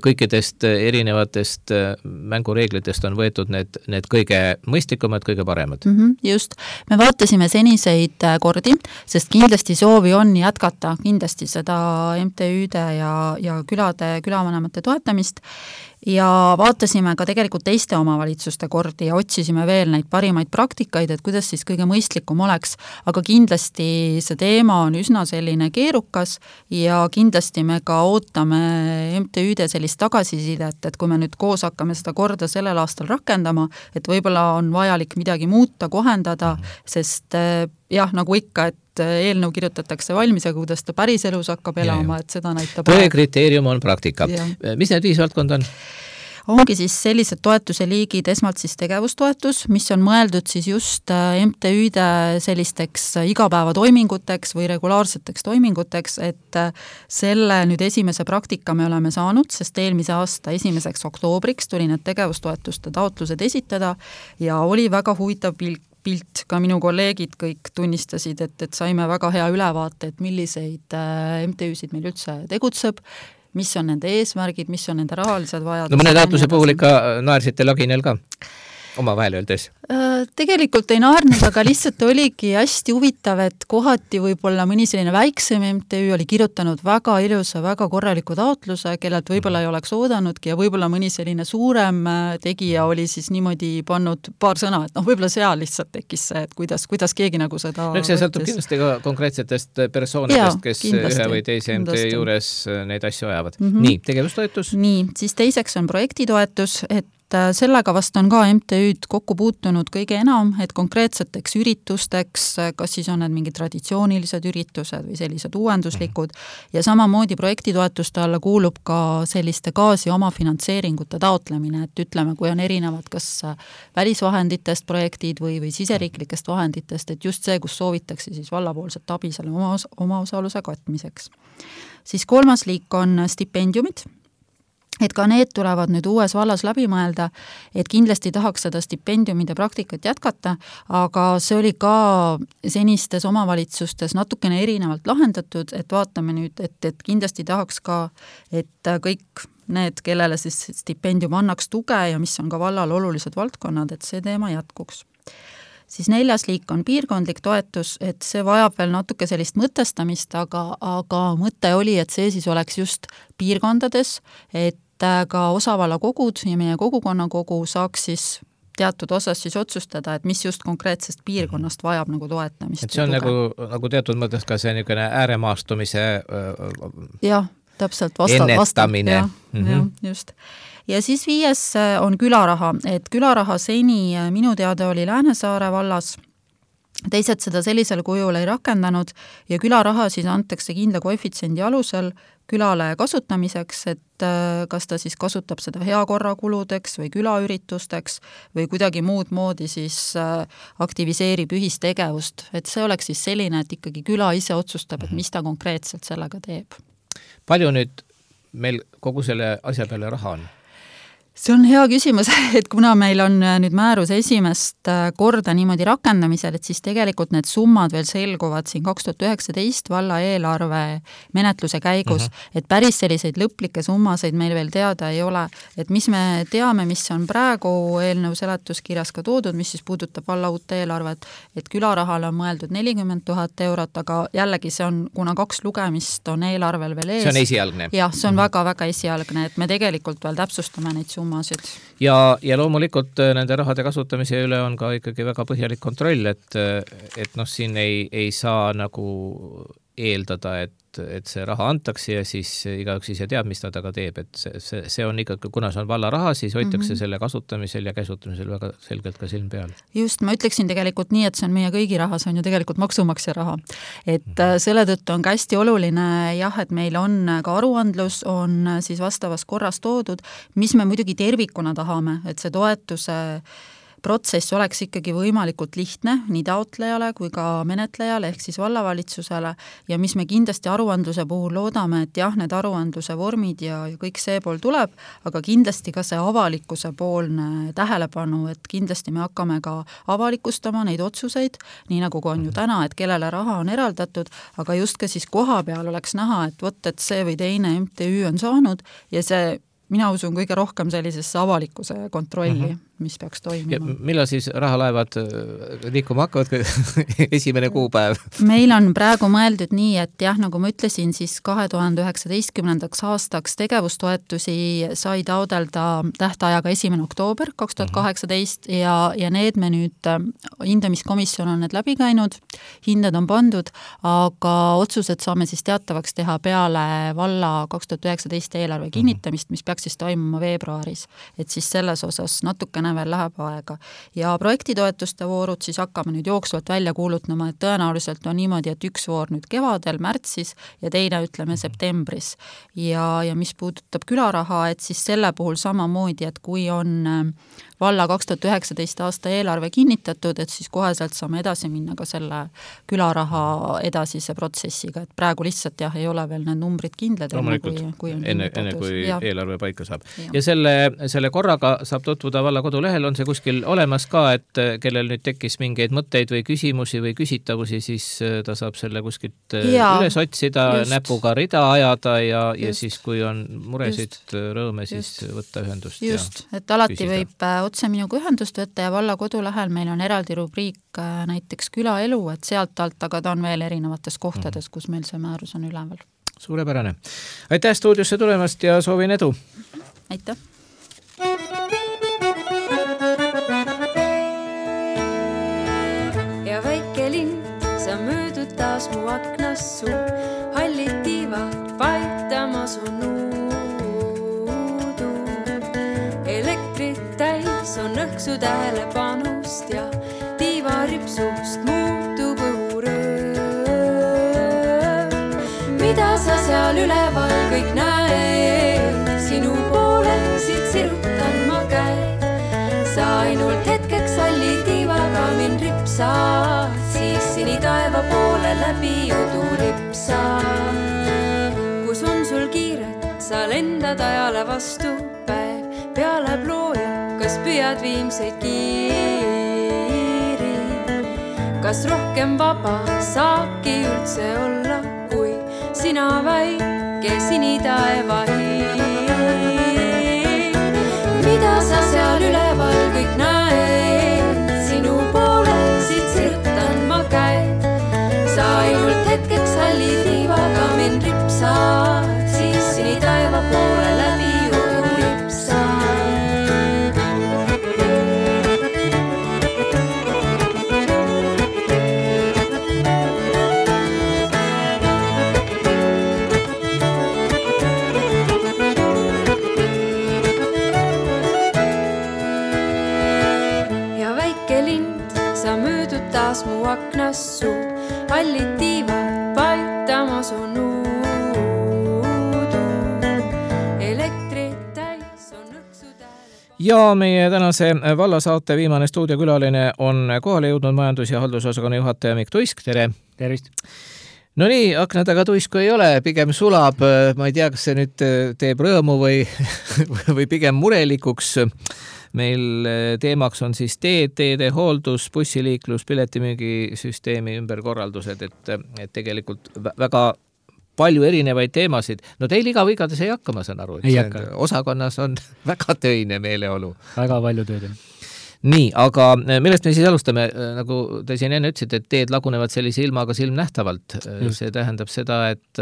Speaker 2: kõikidest erinevatest mängureeglitest on võetud need, need kõige mõistlikumad, kõige paremad.
Speaker 5: Mm-hmm, just. Me vaatasime seniseid kordi, sest kindlasti soovi on jätkata kindlasti seda M T Ü'de ja, ja külade, külavanemate toetamist ja vaatasime ka tegelikult teiste omavalitsuste kordi ja otsisime veel neid parimaid praktikaid, et kuidas siis kõige mõistlikum oleks, aga kindlasti see teema on üsna selline keerukas ja kindlasti me ka ootame M T Ü'de sellist tagasisidet, et kui me nüüd koos hakkame seda korda sellel aastal rakendama, et võib-olla on vajalik midagi muuta, kohendada, sest jah, nagu ikka, et eelnõu kirjutatakse valmis, aga kuidas ta päris elus hakkab elama, et seda näitab.
Speaker 2: Tõe kriteerium on praktika. Mis need viis valdkond on?
Speaker 5: Ongi siis sellised toetuse liigid, esmalt siis tegevustoetus, mis on mõeldud siis just M T Ü'de sellisteks igapäevatoiminguteks või regulaarseteks toiminguteks, et selle nüüd esimese praktika me oleme saanud, sest eelmise aasta esimeseks oktoobriks tuli need tegevustoetuste taotlused esitada ja oli väga huvitav pilt pilt, ka minu kolleegid kõik tunnistasid, et, et saime väga hea ülevaate, et milliseid M T Ü'sid meil üldse tegutseb, mis on nende eesmärgid, mis on nende rahalised vajadused.
Speaker 2: No mõne taotluse puhul ikka naersite laginel ka oma vahel öeldes?
Speaker 5: Tegelikult ei naarnud, aga lihtsalt oligi hästi huvitav, et kohati võib-olla mõni selline väiksem M T Ü oli kirjutanud väga ilusa, väga korraliku taotluse, kellelt võib-olla ei oleks oodanudki ja võib-olla mõni selline suurem tegija oli siis niimoodi pannud paar sõna, et noh, võib-olla seal lihtsalt tekkis see, et kuidas, kuidas keegi nagu seda
Speaker 2: no, see sõltub kindlasti ka konkreetsetest persoonidest, kes kindlasti, ühe või teise M T Ü juures neid asju ajavad. Mm-hmm. Nii, tegevustoetus?
Speaker 5: Nii, siis teiseks on projektitoetus, et sellega vast on ka M T Ü'd kokku puutunud kõige enam, et konkreetseteks üritusteks, kas siis on need mingid traditsioonilised üritused või sellised uuenduslikud ja samamoodi projektitoetuste alla kuulub ka selliste gaasi omafinantseeringute taotlemine, et ütleme, kui on erinevad kas välisvahenditest projektid või, või siseriiklikest vahenditest, et just see, kus soovitakse siis vallapoolset abi selle oma, oma osaluse katmiseks. Siis kolmas liik on stipendiumid, et ka need tulevad nüüd uues vallas läbi mõelda, et kindlasti tahaks seda stipendiumide praktikat jätkata, aga see oli ka senistes omavalitsustes natukene erinevalt lahendatud, et vaatame nüüd, et, et kindlasti tahaks ka, et kõik need, kellele siis stipendium annaks tuge ja mis on ka vallal olulised valdkonnad, et see teema jätkuks. Siis neljas liik on piirkondlik toetus, et see vajab veel natuke sellist mõtestamist, aga, aga mõte oli, et see siis oleks just piirkondades, et ka osavalla kogud ja meie kogukonnakogu saaks siis teatud osas siis otsustada, et mis just konkreetsest piirkonnast vajab nagu toetamist.
Speaker 2: Et see on nagu, nagu teatud mõttes ka see niisugune ääremaastumise
Speaker 5: jah, täpselt vasta,
Speaker 2: ennetamine.
Speaker 5: Jah, mm-hmm. jah, just. Ja siis viies on külaraha, et külaraha seni minu teada oli Läänesaare vallas, teised seda sellisel kujul ei rakendanud ja külaraha siis antakse kindla koefitsiendi alusel külale kasutamiseks, et kas ta siis kasutab seda heakorrakuludeks või külaüritusteks või kuidagi muud moodi siis aktiviseerib ühistegevust, et see oleks siis selline, et ikkagi küla ise otsustab, et mis ta konkreetselt sellega teeb.
Speaker 2: Palju nüüd meil kogu selle asja peale raha on?
Speaker 5: See on hea küsimus, et kuna meil on nüüd määrus esimest korda niimoodi rakendamisel, et siis tegelikult need summad veel selguvad siin kaks tuhat üheksateist valla eelarve menetluse käigus, uh-huh. et päris selliseid lõplikke summaseid meil veel teada ei ole, et mis me teame, mis on praegu eelnõu seletuskirjas ka toodud, mis siis puudutab valla uut eelarvet, et külarahale on mõeldud nelikümmend tuhat eurot, aga jällegi see on, kuna kaks lugemist on eelarvel veel ees.
Speaker 2: See on esialgne.
Speaker 5: Jah, see on uh-huh. väga-väga esialgne, et me tegelikult veel täpsustame neid summasid.
Speaker 2: Ja, ja loomulikult nende rahade kasutamise üle on ka ikkagi väga põhjalik kontroll, et, et noh, siin ei, ei saa nagu eeldada, et, et see raha antakse ja siis igaüks ise teab, mis ta taga teeb, et see, see, see on ikkagi, kuna see on valla raha, siis hoitakse mm-hmm. selle kasutamisel ja käsutamisel väga selgelt ka silm peal.
Speaker 5: Just, ma ütleksin tegelikult nii, et see on meie kõigi raha, see on ju tegelikult maksumaksja raha. Et mm-hmm. selle tõttu on ka hästi oluline jah, et meil on ka aruandlus, on siis vastavas korras toodud, mis me muidugi tervikuna tahame, et see toetuse protsess oleks ikkagi võimalikult lihtne nii taotlejale kui ka menetlejale ehk siis vallavalitsusele ja mis me kindlasti aruandluse puhul loodame, et jah, need aruandluse vormid ja, ja kõik see pool tuleb, aga kindlasti ka see avalikkuse poolne tähelepanu, et kindlasti me hakkame ka avalikustama neid otsuseid, nii nagu on ju täna, et kellele raha on eraldatud, aga just ka siis koha peal oleks näha, et vot, et see või teine M T Ü on saanud ja see mina usun kõige rohkem sellisesse avalikkuse kontrolli, uh-huh. mis peaks toimima.
Speaker 2: Millal siis rahalaevad liikuma hakkavad esimene kuupäev?
Speaker 5: Meil on praegu mõeldud nii, et jah, nagu ma ütlesin, siis kahe tuhande üheksateistkümnendaks aastaks tegevustoetusi sai taodelda tähtajaga esimene oktoober kaks tuhat kaheksateist ja, ja need me nüüd, hindamiskomisjon on need läbi käinud, hinded on pandud, aga otsused saame siis teatavaks teha peale valla kaks tuhat üheksateist eelarve kinnitamist, mis peaks siis toimuma veebruaris, et siis selles osas natukene veel läheb aega. Ja projektitoetuste voorud siis hakkame nüüd jooksvalt välja kuulutama, et tõenäoliselt on niimoodi, et üks voor nüüd kevadel, märtsis ja teine ütleme septembris. Ja, ja mis puudutab külaraha, et siis selle puhul samamoodi, et kui on valla kaks tuhat üheksateist aasta eelarve kinnitatud, et siis koheselt saame edasi minna ka selle külaraha edasise protsessiga, et praegu lihtsalt jah, ei ole veel need numbrid kindlad.
Speaker 2: Enne kui, kui, enne, enne kui ja. eelarve paika saab. Ja,
Speaker 5: ja
Speaker 2: selle, selle korraga saab tutvuda valla kodulehel, on see kuskil olemas ka, et kellel nüüd tekkis mingeid mõtteid või küsimusi või küsitavusi, siis ta saab selle kuskilt ja, üles otsida, just. Näpuga rida ajada ja, ja siis kui on muresid, just. Rõõme, siis just. Võtta ühendust.
Speaker 5: Just, ja et alati küsida. Võib otse minuga ühendust võtta ja valla kodulehel meil on eraldi rubriik näiteks külaelu, et sealt alt, aga ta on veel erinevates kohtades, kus meil see määrus on üleval.
Speaker 2: Suurepärane. Aitäh stuudiosse tulemast ja soovin edu!
Speaker 5: Aitäh!
Speaker 6: Ja väike linn, sa möödud taas mu aknast su hallid tiivad vaitama su nuudu. Elektrit täis on õhksu tähelepanust ja tiivaripsust muutub õhuröö. Mida sa seal üleval kõik näed? Sinu poole siit sirutan ma käed. Sa ainult hetkeks salli tiivaga mind ripsad, siis sini taeva poole läbi udu lipsad. Kus on sul kiiret, sa sa lendad ajale vastu päev peale plooja, kas püüad viimseid kiiri? Kas rohkem vaba saabki üldse olla, kui sina väike sinitaeva hiir? Mida sa seal üleval kõik näed? Sinu poole siit sirutan ma käed. Sa ainult hetkeks halli tiivaga mind ripsad, siis sinitaeva poole läbi ujub ripsad. Ja väike lind, sa möödud taas mu aknas suu, hallid tiivad paitamas on uudu, elektrit täis on õksud ääle.
Speaker 2: Ja meie tänase vallasaate viimane stuudiokülaline on kohale jõudnud majandus- ja haldusosakonna juhataja Mikk Tuisk, tere!
Speaker 7: Tervist!
Speaker 2: No nii, akna taga tuisku ei ole, pigem sulab, ma ei tea, kas see nüüd teeb rõõmu või, või pigem murelikuks. Meil teemaks on siis teed, teede hooldus, bussiliiklus, piletimüügisüsteemi ümberkorraldused, et, et tegelikult väga palju erinevaid teemasid. No teil iga vigades ei hakka, ma saan aru, et
Speaker 7: ei
Speaker 2: see
Speaker 7: hakka.
Speaker 2: Osakonnas on väga töine meeleolu.
Speaker 7: Väga palju tööd.
Speaker 2: Nii, aga millest me siis alustame? Nagu te siin enne ütlesite, et teed lagunevad sellise ilmaga silmnähtavalt. Just. See tähendab seda, et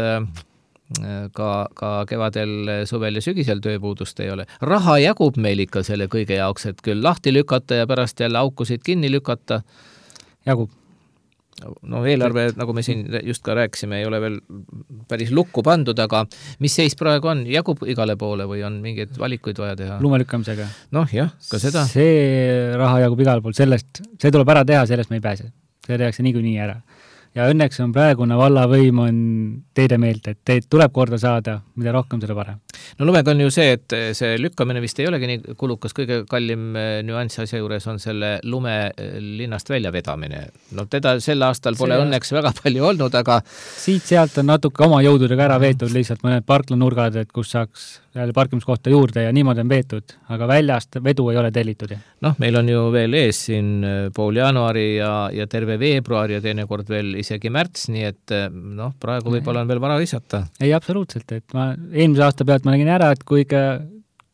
Speaker 2: ka, ka kevadel, suvel ja sügisel tööpuudust ei ole. Raha jagub meil ikka selle kõige jaoks, et küll lahti lükata ja pärast jälle aukusid kinni lükata.
Speaker 7: Jagub.
Speaker 2: No eelarve, nagu me siin just ka rääkisime, ei ole veel päris lukku pandud, aga mis seis praegu on? Jagub igale poole või on mingeid valikuid vaja teha?
Speaker 7: Lumelükkamisega.
Speaker 2: Noh, jah, ka seda.
Speaker 7: See raha jagub igale pool, sellest, see tuleb ära teha, sellest me ei pääse. See tehakse niikuinii ära. Ja õnneks on praegune vallavõim on teede meelt, et teed tuleb korda saada, mida rohkem seda parem.
Speaker 2: No lumega on ju see, et see lükkamine vist ei olegi nii kulukas, kõige kallim nüanss asja juures on selle lume linnast välja vedamine. No teda sel aastal pole see õnneks väga palju olnud, aga
Speaker 7: siit-sealt on natuke oma jõududega ära veetud lihtsalt mõned parklanurgad, et kus saaks jälle parkimiskohta juurde ja niimoodi on veetud, aga väljast vedu ei ole tellitud.
Speaker 2: Noh, meil on ju veel ees siin pool jaanuari ja, ja terve veebruar ja teinekord veel isegi märts, nii et noh, praegu võib-olla on veel vara visata.
Speaker 7: Ei, absoluutselt, et ma eelmise aasta pealt ma nägin ära, et kui, ikka,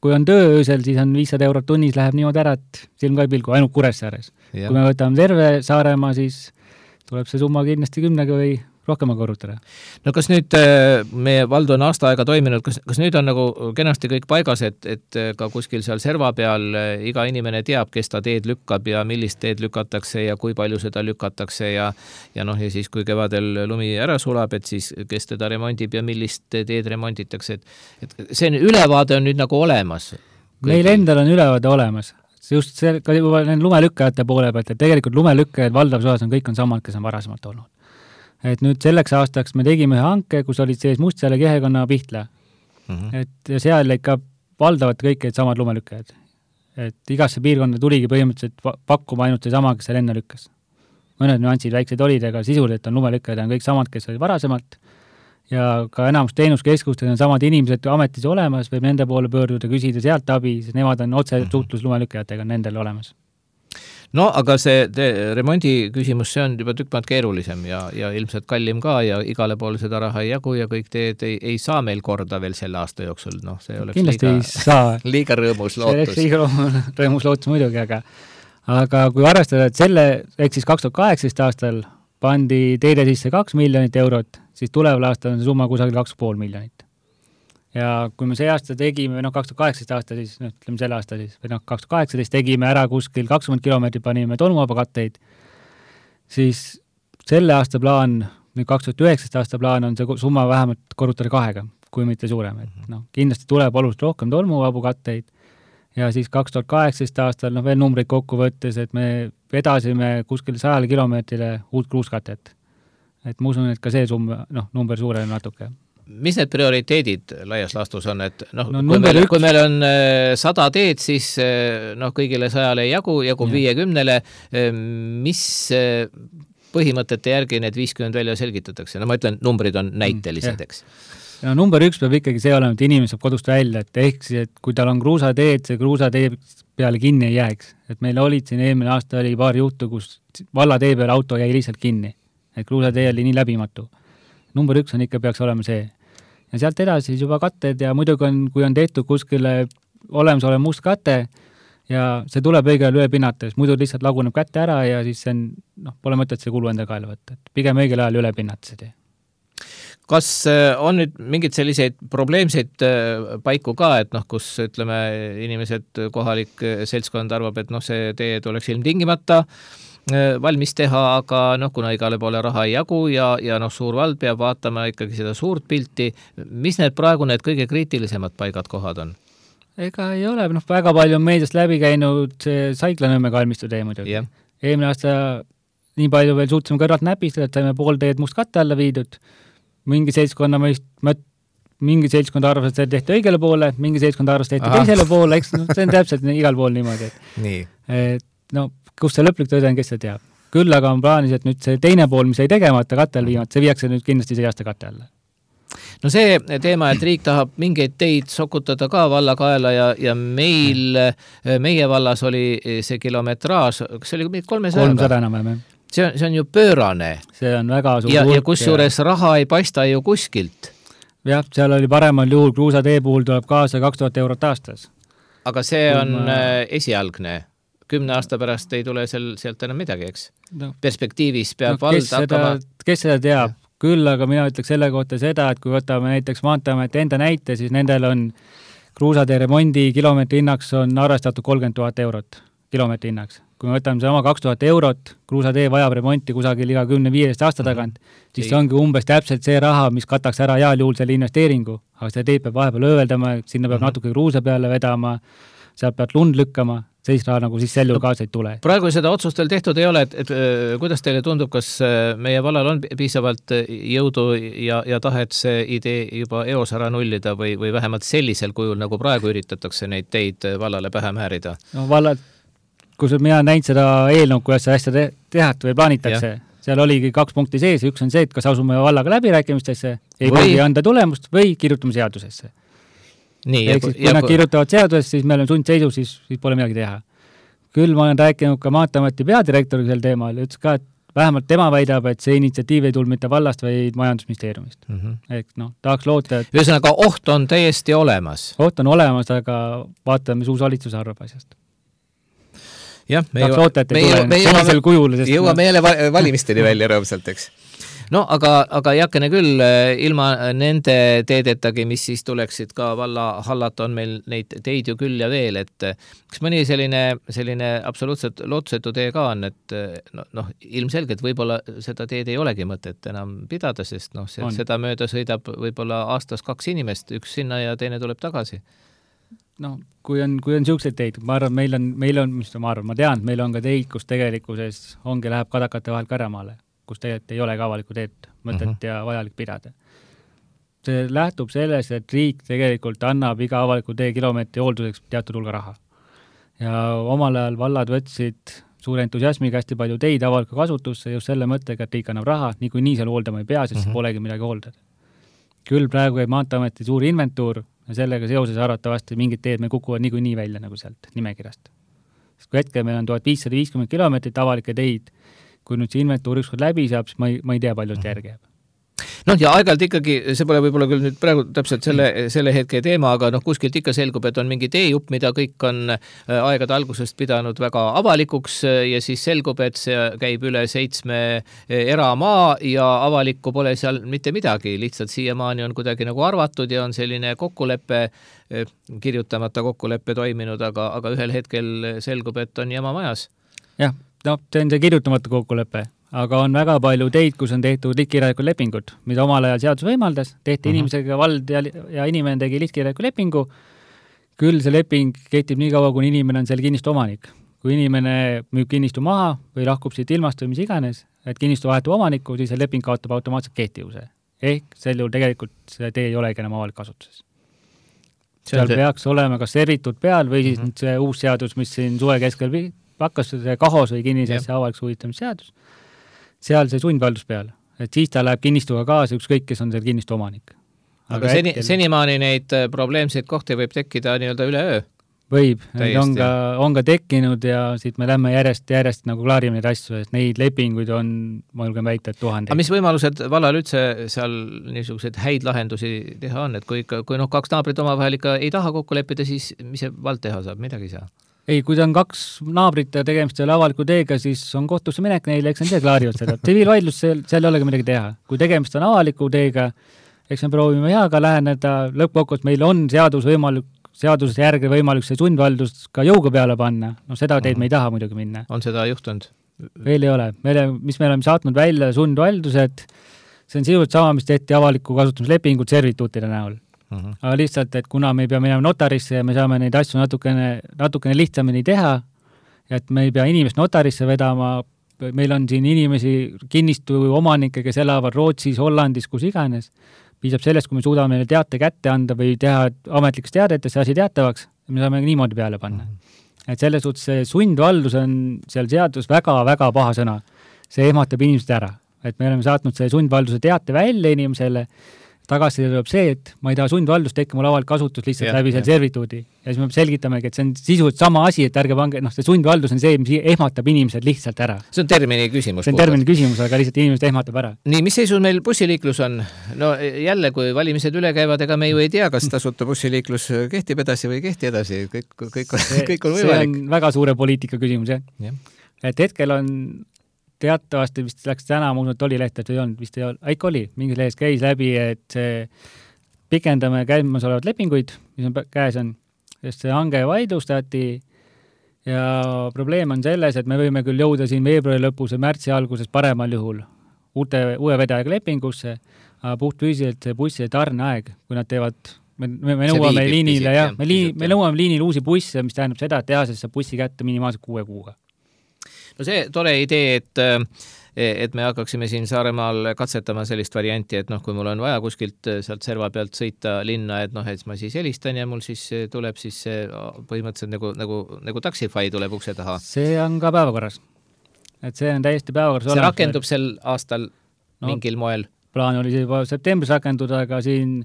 Speaker 7: kui on töö öösel, siis on viissada eurot tunnis, läheb niimoodi ära, et silm ka ei pilgu, ainult Kuressaares. Kui me võtame terve Saaremaa, siis tuleb see summa kindlasti kümnega või rohkem korrutada. No kas nüüd meie vald on aasta aega toiminud, kas, kas nüüd on nagu kenasti kõik paigas, et, et ka kuskil seal serva peal iga inimene teab, kes ta teed lükkab ja millist teed lükatakse ja kui palju seda lükatakse ja, ja noh, ja siis kui kevadel lumi ära sulab, et siis kes teda remondib ja millist teed remonditakse, et, et see ülevaade on nüüd nagu olemas. Meil endal on ülevaade olemas. Just see, ka juba lumelükkajate poole pealt, et tegelikult lumelükkajad valdavas osas on kõik on samad, kes on varasemalt olnud. Et nüüd selleks aastaks me tegime ühe hanke, kus olid sees Mustjala Kihekonna Pihtla. Mm-hmm. Et ja seal ikka valdavad kõik samad lumelükkajad. Et igasse piirkonda tuligi põhimõtteliselt pakkuma ainult see sama, kes seal enne lükkas. Mõned nüansid väiksed olid, aga sisuliselt on lumelükkajad on kõik samad, kes olid varasemalt. Ja ka enamus teenuskeskustes on samad inimesed ametis olemas, võib nende poole pöörduda, küsida sealt abi, sest nemad on otse suhtlus lumelükkajatega nendel olemas.
Speaker 2: No, aga see te, remondi küsimus, see on juba tükk maad keerulisem ja, ja ilmselt kallim ka ja igale poole seda raha ei jagu ja kõik teed ei, ei saa meil korda veel selle aasta jooksul. Noh, see oleks
Speaker 7: kindlasti
Speaker 2: liiga,
Speaker 7: ei saa.
Speaker 2: liiga rõõmus lootus.
Speaker 7: See oleks liiga rõõmus lootus muidugi, aga, aga kui arvestada, et selle, ehk siis kaks tuhat kaheksateist aastal pandi teede sisse kaks miljonit eurot, siis tuleval aastal on see summa kusagil kaks pool miljonit. Ja kui me see aasta tegime, noh, kaks tuhat kaheksateist aasta siis, noh, ütleme selle aasta siis, või noh, kaks tuhat kaheksateist tegime ära kuskil kakskümmend kilomeetrit, panime tolmuvaba katteid, siis selle aasta plaan, nüüd kaks tuhat üheksateist aasta plaan on see summa vähemalt korrutada kahega, kui mitte suurem. Et, noh, kindlasti tuleb oluliselt rohkem tolmuvabu katteid ja siis kaks tuhat kaheksateist aastal, noh, veel numbreid kokku võttes, et me vedasime kuskil sajale kilomeetrile uut kruuskatet. Et ma usun, et ka see summa, noh, number suurem natuke.
Speaker 2: Mis need prioriteedid laias laastus on, et noh,
Speaker 7: no,
Speaker 2: kui, meil,
Speaker 7: üks...
Speaker 2: kui meil on sada teed, siis noh, kõigile sajale ei jagu, jagub viiekümnele, mis põhimõtete järgi need viiskümmend välja selgitatakse? No ma ütlen, numbrid on näitelised, eks.
Speaker 7: no number üks peab ikkagi see olema, et inimene saab kodust välja, et ehk siis, et kui tal on kruusateed, see kruusatee peale kinni ei jääks. Et meil olid siin eelmine aasta oli paar juhtu, kus vallatee peale auto jäi lihtsalt kinni. Et kruusatee oli nii läbimatu. Number üks on ikka peaks olema see. Ja sealt edasi siis juba katted ja muidugi on, kui on tehtud kuskile olemas ole must kate ja see tuleb õigel üle pinnata, muidu lihtsalt laguneb kätte ära ja siis see on, noh, pole mõtet see kulu enda kaela võtta. Et pigem õigel ajal üle pinnata see tee.
Speaker 2: Kas on nüüd mingid selliseid probleemseid paiku ka, et noh, kus ütleme inimesed, kohalik seltskond arvab, et noh, see tee tuleks ilmtingimata valmis teha, aga noh, kuna igale poole raha ei jagu ja, ja noh, suur vald peab vaatama ikkagi seda suurt pilti. Mis need praegu need kõige kriitilisemad paigad kohad on?
Speaker 7: Ega ei ole, noh, väga palju on meediast läbi käinud see Saikla-Nõmme kalmistu tee muidugi. Yeah. Eelmine aasta nii palju veel suutsime kõrvalt näpistada, et saime pool teed must katte alla viidud. Mingi seltskonna mõist, mingi seltskond arvas, et see tehti õigele poole, mingi seltskond arvas, et tehti Aha. teisele poole, eks no, see on täpselt igal pool niimoodi. Et,
Speaker 2: nii.
Speaker 7: Et, no, kus see lõplik tõde on, kes see teab. Küll aga on plaanis, et nüüd see teine pool, mis ei tegemata katte all viimata, see viiakse nüüd kindlasti see aasta katte alla.
Speaker 2: No see teema, et riik tahab mingeid teid sokutada ka valla kaela ja, ja meil, meie vallas oli see kilometraaž, kas see oli kolmesaja?
Speaker 7: kolmsada enam, jah.
Speaker 2: See on, see on ju pöörane.
Speaker 7: See on väga suur
Speaker 2: ja, ja kus juures raha ei paista ju kuskilt.
Speaker 7: Jah, seal oli paremal juhul, kruusatee puhul tuleb kaasa kaks tuhat eurot aastas.
Speaker 2: Aga see on ma... esialgne. Kümne aasta pärast ei tule seal, sealt enam midagi, eks? No. Perspektiivis peab no, vald hakkama...
Speaker 7: Kes seda teab? Ja. Küll, aga mina ütleks selle kohta seda, et kui võtame näiteks Maanteeameti enda näite, siis nendel on kruusatee remondi kilomeetri hinnaks on arvestatud kolmkümmend tuhat eurot kilomeetri hinnaks. Kui me võtame sama kaks tuhat eurot, kruusatee vajab remonti kusagil iga kümne viiest aasta tagant, mm-hmm. siis see ongi umbes täpselt see raha, mis kataks ära heal juhul selle investeeringu, aga see teed peab vahepeal ööveldama, sinna peab mm-hmm. natuke kruusa peale vedama, sealt peab lund lükkama, sellist raha nagu siis sel juhul kaasa ei tule.
Speaker 2: Praegu seda otsust veel tehtud ei ole, et, et kuidas teile tundub, kas meie vallal on piisavalt jõudu ja, ja tahet see idee juba eos ära nullida või, või vähemalt sellisel kujul, nagu praegu üritatakse neid teid vallale pähe määrida?
Speaker 7: No vallad kus mina näinud seda eelnõu, kuidas see asja te- tehat või plaanitakse, ja. Seal oligi kaks punkti sees, üks on see, et kas asume vallaga läbirääkimistesse, ei või anda tulemust või kirjutame seadusesse.
Speaker 2: Nii,
Speaker 7: ja, siis, kui ja, nad kirjutavad seadusesse, siis me oleme sundseisus, siis, siis pole midagi teha. Küll ma olen rääkinud ka Maanteeameti peadirektoriga sel teemal, ütles ka, et vähemalt tema väidab, et see initsiatiiv ei tulnud mitte vallast, vaid majandusministeeriumist. Mm-hmm. Ehk noh, tahaks loota, et...
Speaker 2: Ühesõnaga, oht on täiesti olemas.
Speaker 7: Oht on olemas, aga vaatame, mis uus valitsus arvab asjast.
Speaker 2: Jah, me,
Speaker 7: jõu, loota, me, jõu, me jõuame,
Speaker 2: kujul, jõuame jälle valimisteni välja rõõmsalt, eks. No, aga, aga jakene küll, ilma nende teedetagi, mis siis tuleksid ka valla hallata, on meil neid teid ju küll ja veel, et kas mõni selline, selline absoluutselt lootusetu tee ka on, et noh, no, ilmselgelt võib-olla seda teed ei olegi mõtet enam pidada, sest noh, see, seda mööda sõidab võib-olla aastas kaks inimest, üks sinna ja teine tuleb tagasi.
Speaker 7: No, kui on, kui on siukseid teid, ma arvan, meil on, meil on, mis ma arvan, ma tean, meil on ka teid, kus tegelikkuses ongi, läheb kadakate vahel Käremaale, kus tegelikult ei ole ka avalikku teed mõtet uh-huh. ja vajalik pidada. See lähtub sellest, et riik tegelikult annab iga avaliku tee kilomeetri hoolduseks teatud hulga raha. Ja omal ajal vallad võtsid suure entusiasmiga hästi palju teid avalikku kasutusse just selle mõttega, et riik annab raha, nii kui nii seal hooldama ei pea, sest uh-huh. polegi midagi hooldada. Küll praegu ei Maanteeameti suur inventuur ja sellega seoses arvatavasti mingid teed me kukuvad nii kui nii välja nagu sealt nimekirjast. Sest kui hetkel meil on tuhat viissada viiskümmend kilomeetrit avalikke teid, kui nüüd see inventuur ükskord läbi saab, siis ma ei, ma ei tea, palju seda järgi jääb.
Speaker 2: Noh, ja aeg-ajalt ikkagi, see pole võib-olla küll nüüd praegu täpselt selle, selle hetke teema, aga noh, kuskilt ikka selgub, et on mingi teejupp, mida kõik on aegade algusest pidanud väga avalikuks ja siis selgub, et see käib üle seitsme eramaa ja avalikku pole seal mitte midagi, lihtsalt siiamaani on kuidagi nagu arvatud ja on selline kokkuleppe, kirjutamata kokkuleppe toiminud, aga, aga ühel hetkel selgub, et on jama majas.
Speaker 7: Jah, no see on see kirjutamata kokkulepe. Aga on väga palju teid, kus on tehtud liitkirjalikud lepingud, mida omal ajal seadus võimaldas, tehti uh-huh. inimesega vald ja, ja inimene tegi liitkirjaliku lepingu, küll see leping kehtib nii kaua, kui inimene on seal kinnistu omanik. Kui inimene müüb kinnistu maha või lahkub siit ilmast või mis iganes, et kinnistu vahetub omanikku, siis see leping kaotab automaatselt kehtivuse. Ehk sel juhul tegelikult see tee ei olegi enam avalik kasutuses. Seal see... peaks olema kas servitud peal või siis uh-huh. see uus seadus, mis siin suve keskel hakkas see kahos või kinnisesse avaliks huvitamise seadus. Seal see sundvaldus peal, et siis ta läheb kinnistuga kaasa ükskõik, kes on seal kinnistu omanik.
Speaker 2: aga seni, senimaani neid probleemseid kohti võib tekkida nii-öelda üle öö?
Speaker 7: Võib, neid on ka, on ka tekkinud ja siit me lähme järjest, järjest nagu klaarime neid asju, et neid lepinguid on, ma julgen väita, et tuhandeid.
Speaker 2: Aga mis võimalused vallal üldse seal niisuguseid häid lahendusi teha on, et kui, kui noh, kaks naabrit omavahel ikka ei taha kokku leppida, siis mis see vald teha saab, midagi ei saa?
Speaker 7: Ei, kui ta on kaks naabrit ja tegemist selle avaliku teega, siis on kohtusse minek neile, eks nad ise klaarivad seda. Tsiviilvaidlus, seal, seal ei olegi midagi teha. Kui tegemist on avaliku teega, eks me proovime heaga läheneda, lõppkokkuvõttes meil on seadus võimalik seaduse järgi võimalik see sundvaldus ka jõuga peale panna, no seda teed me ei taha muidugi minna.
Speaker 2: On seda juhtunud?
Speaker 7: Veel ei ole. Meile, mis me oleme saatnud välja sundvaldused, see on sisuliselt sama, mis tehti avaliku kasutamislepingud servituutide näol. Uh-huh. Aga lihtsalt, et kuna me ei pea minema notarisse ja me saame neid asju natukene, natukene lihtsamini teha, et me ei pea inimest notarisse vedama, meil on siin inimesi kinnistu omanikke, kes elavad Rootsis, Hollandis, kus iganes, piisab sellest, kui me suudame neile teate kätte anda või teha ametlikes teadetes see asi teatavaks, me saame niimoodi peale panna. Mm-hmm. Et selles suhtes see sundvaldus on seal seadus väga-väga paha sõna. See ehmatab inimesed ära. Et me oleme saatnud see sundvalduse teate välja inimesele, tagasi tuleb see, et ma ei taha sundvaldust tekki mul avalik kasutus lihtsalt ja, läbi selle servituudi. Ja siis me selgitamegi, et see on sisuliselt sama asi, et ärge pange, noh, see sundvaldus on see, mis ehmatab inimesed lihtsalt ära.
Speaker 2: See on termini küsimus.
Speaker 7: See on termini küsimus, aga lihtsalt inimesed ehmatab ära.
Speaker 2: Nii, mis seisus meil bussiliiklus on? No jälle, kui valimised üle käivad, ega me ju ei tea, kas tasuta bussiliiklus kehtib edasi või kehti edasi. Kõik, kõik,
Speaker 7: see,
Speaker 2: kõik on võimalik.
Speaker 7: See on väga suure poliitika küsimus, jah. Ja. Et hetkel on teatavasti vist läks täna, ma usun, et oli leht, et ei olnud, vist ei olnud, ikka oli, mingis lehes käis läbi, et see pikendame käimasolevad lepinguid, mis on käes on, sest see hange vaidlustati ja probleem on selles, et me võime küll jõuda siin veebruari lõpus ja märtsi alguses paremal juhul uute, uue vedajaga lepingusse, aga puht füüsiliselt see bussi tarneaeg, kui nad teevad, me, me, me nõuame liinile, jah, me, liin, me nõuame liinile uusi busse, mis tähendab seda, et tehasest saab bussi kätte minimaalselt kuue kuuga.
Speaker 2: No see tore idee, et, et me hakkaksime siin Saaremaal katsetama sellist varianti, et noh, kui mul on vaja kuskilt sealt serva pealt sõita linna, et noh, et ma siis helistan ja mul siis tuleb siis põhimõtteliselt nagu, nagu, nagu Taxify tuleb ukse taha.
Speaker 7: See on ka päevakorras. Et see on täiesti päevakorras.
Speaker 2: See rakendub sel aastal no, mingil moel?
Speaker 7: Plaan oli juba septembris rakenduda, aga siin,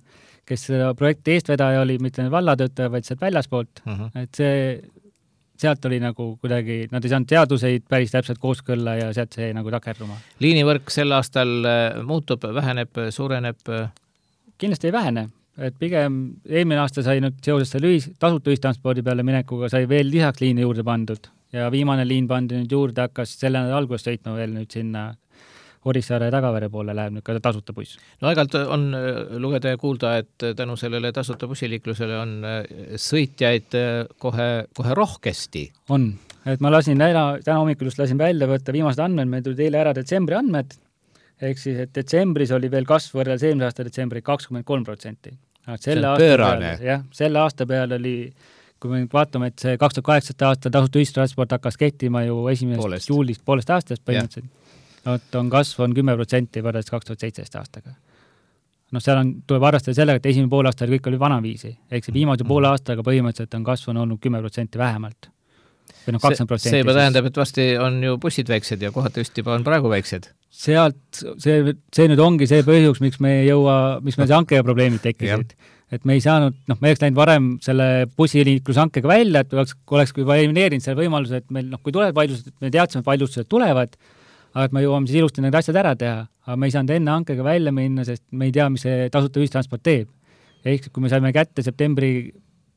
Speaker 7: kes seda projekti eestvedaja oli, mitte vallatöötaja, vaid sealt väljaspoolt, uh-huh. et see sealt oli nagu kuidagi, nad ei saanud seaduseid päris täpselt kooskõlla ja sealt see nagu takerduma.
Speaker 2: Liinivõrk sel aastal muutub, väheneb, suureneb?
Speaker 7: Kindlasti ei vähene, et pigem eelmine aasta sai nüüd seoses selle ühis, tasuta ühistranspordi peale minekuga sai veel lisaks liini juurde pandud ja viimane liin pandi nüüd juurde, hakkas selle nädala alguses sõitma veel nüüd sinna Orissaare ja Tagavere poole läheb nüüd ka tasuta buss.
Speaker 2: No aegalt on lugeda ja kuulda, et tänu sellele tasuta bussiliiklusele on sõitjaid kohe, kohe rohkesti.
Speaker 7: On, et ma lasin täna, täna hommikul just lasin välja võtta viimased andmed, meil tuli teile ära detsembri andmed, ehk siis, et detsembris oli veel kasv võrreldes eelmise aasta detsembri kakskümmend kolm protsenti.
Speaker 2: See on pöörane.
Speaker 7: Jah, selle aasta peal oli, kui me vaatame, et see kaks tuhat kaheksa aasta tasuta ühistransport hakkas kehtima ju esimesest juulist poolest aastast põhimõtteliselt. No, on kasv on kümme protsenti võrreldes kaks tuhat seitseteist aastaga. No seal on, tuleb arvestada sellega, et esimene pool aasta kõik oli vanaviisi. Ehk see viimase poole aastaga põhimõtteliselt on kasv on olnud kümme protsenti vähemalt. Või noh, kakskümmend protsenti.
Speaker 2: See juba tähendab, et vasti on ju bussid väiksed ja kohati just juba on praegu väiksed.
Speaker 7: Sealt, see, see nüüd ongi see põhjus, miks me ei jõua, miks meil see hankega probleemid tekkisid. Et me ei saanud, noh, me oleks läinud varem selle bussiliiklushankega välja, et oleks, oleks juba elimineerinud selle võimaluse, et meil, noh, kui tulevad vaidlused, me teadsime, et vaidlused tulevad, aga et me jõuame siis ilusti need asjad ära teha, aga me ei saanud enne hankega välja minna, sest me ei tea, mis see tasuta ühistransport teeb. Ehk kui me saime kätte septembri,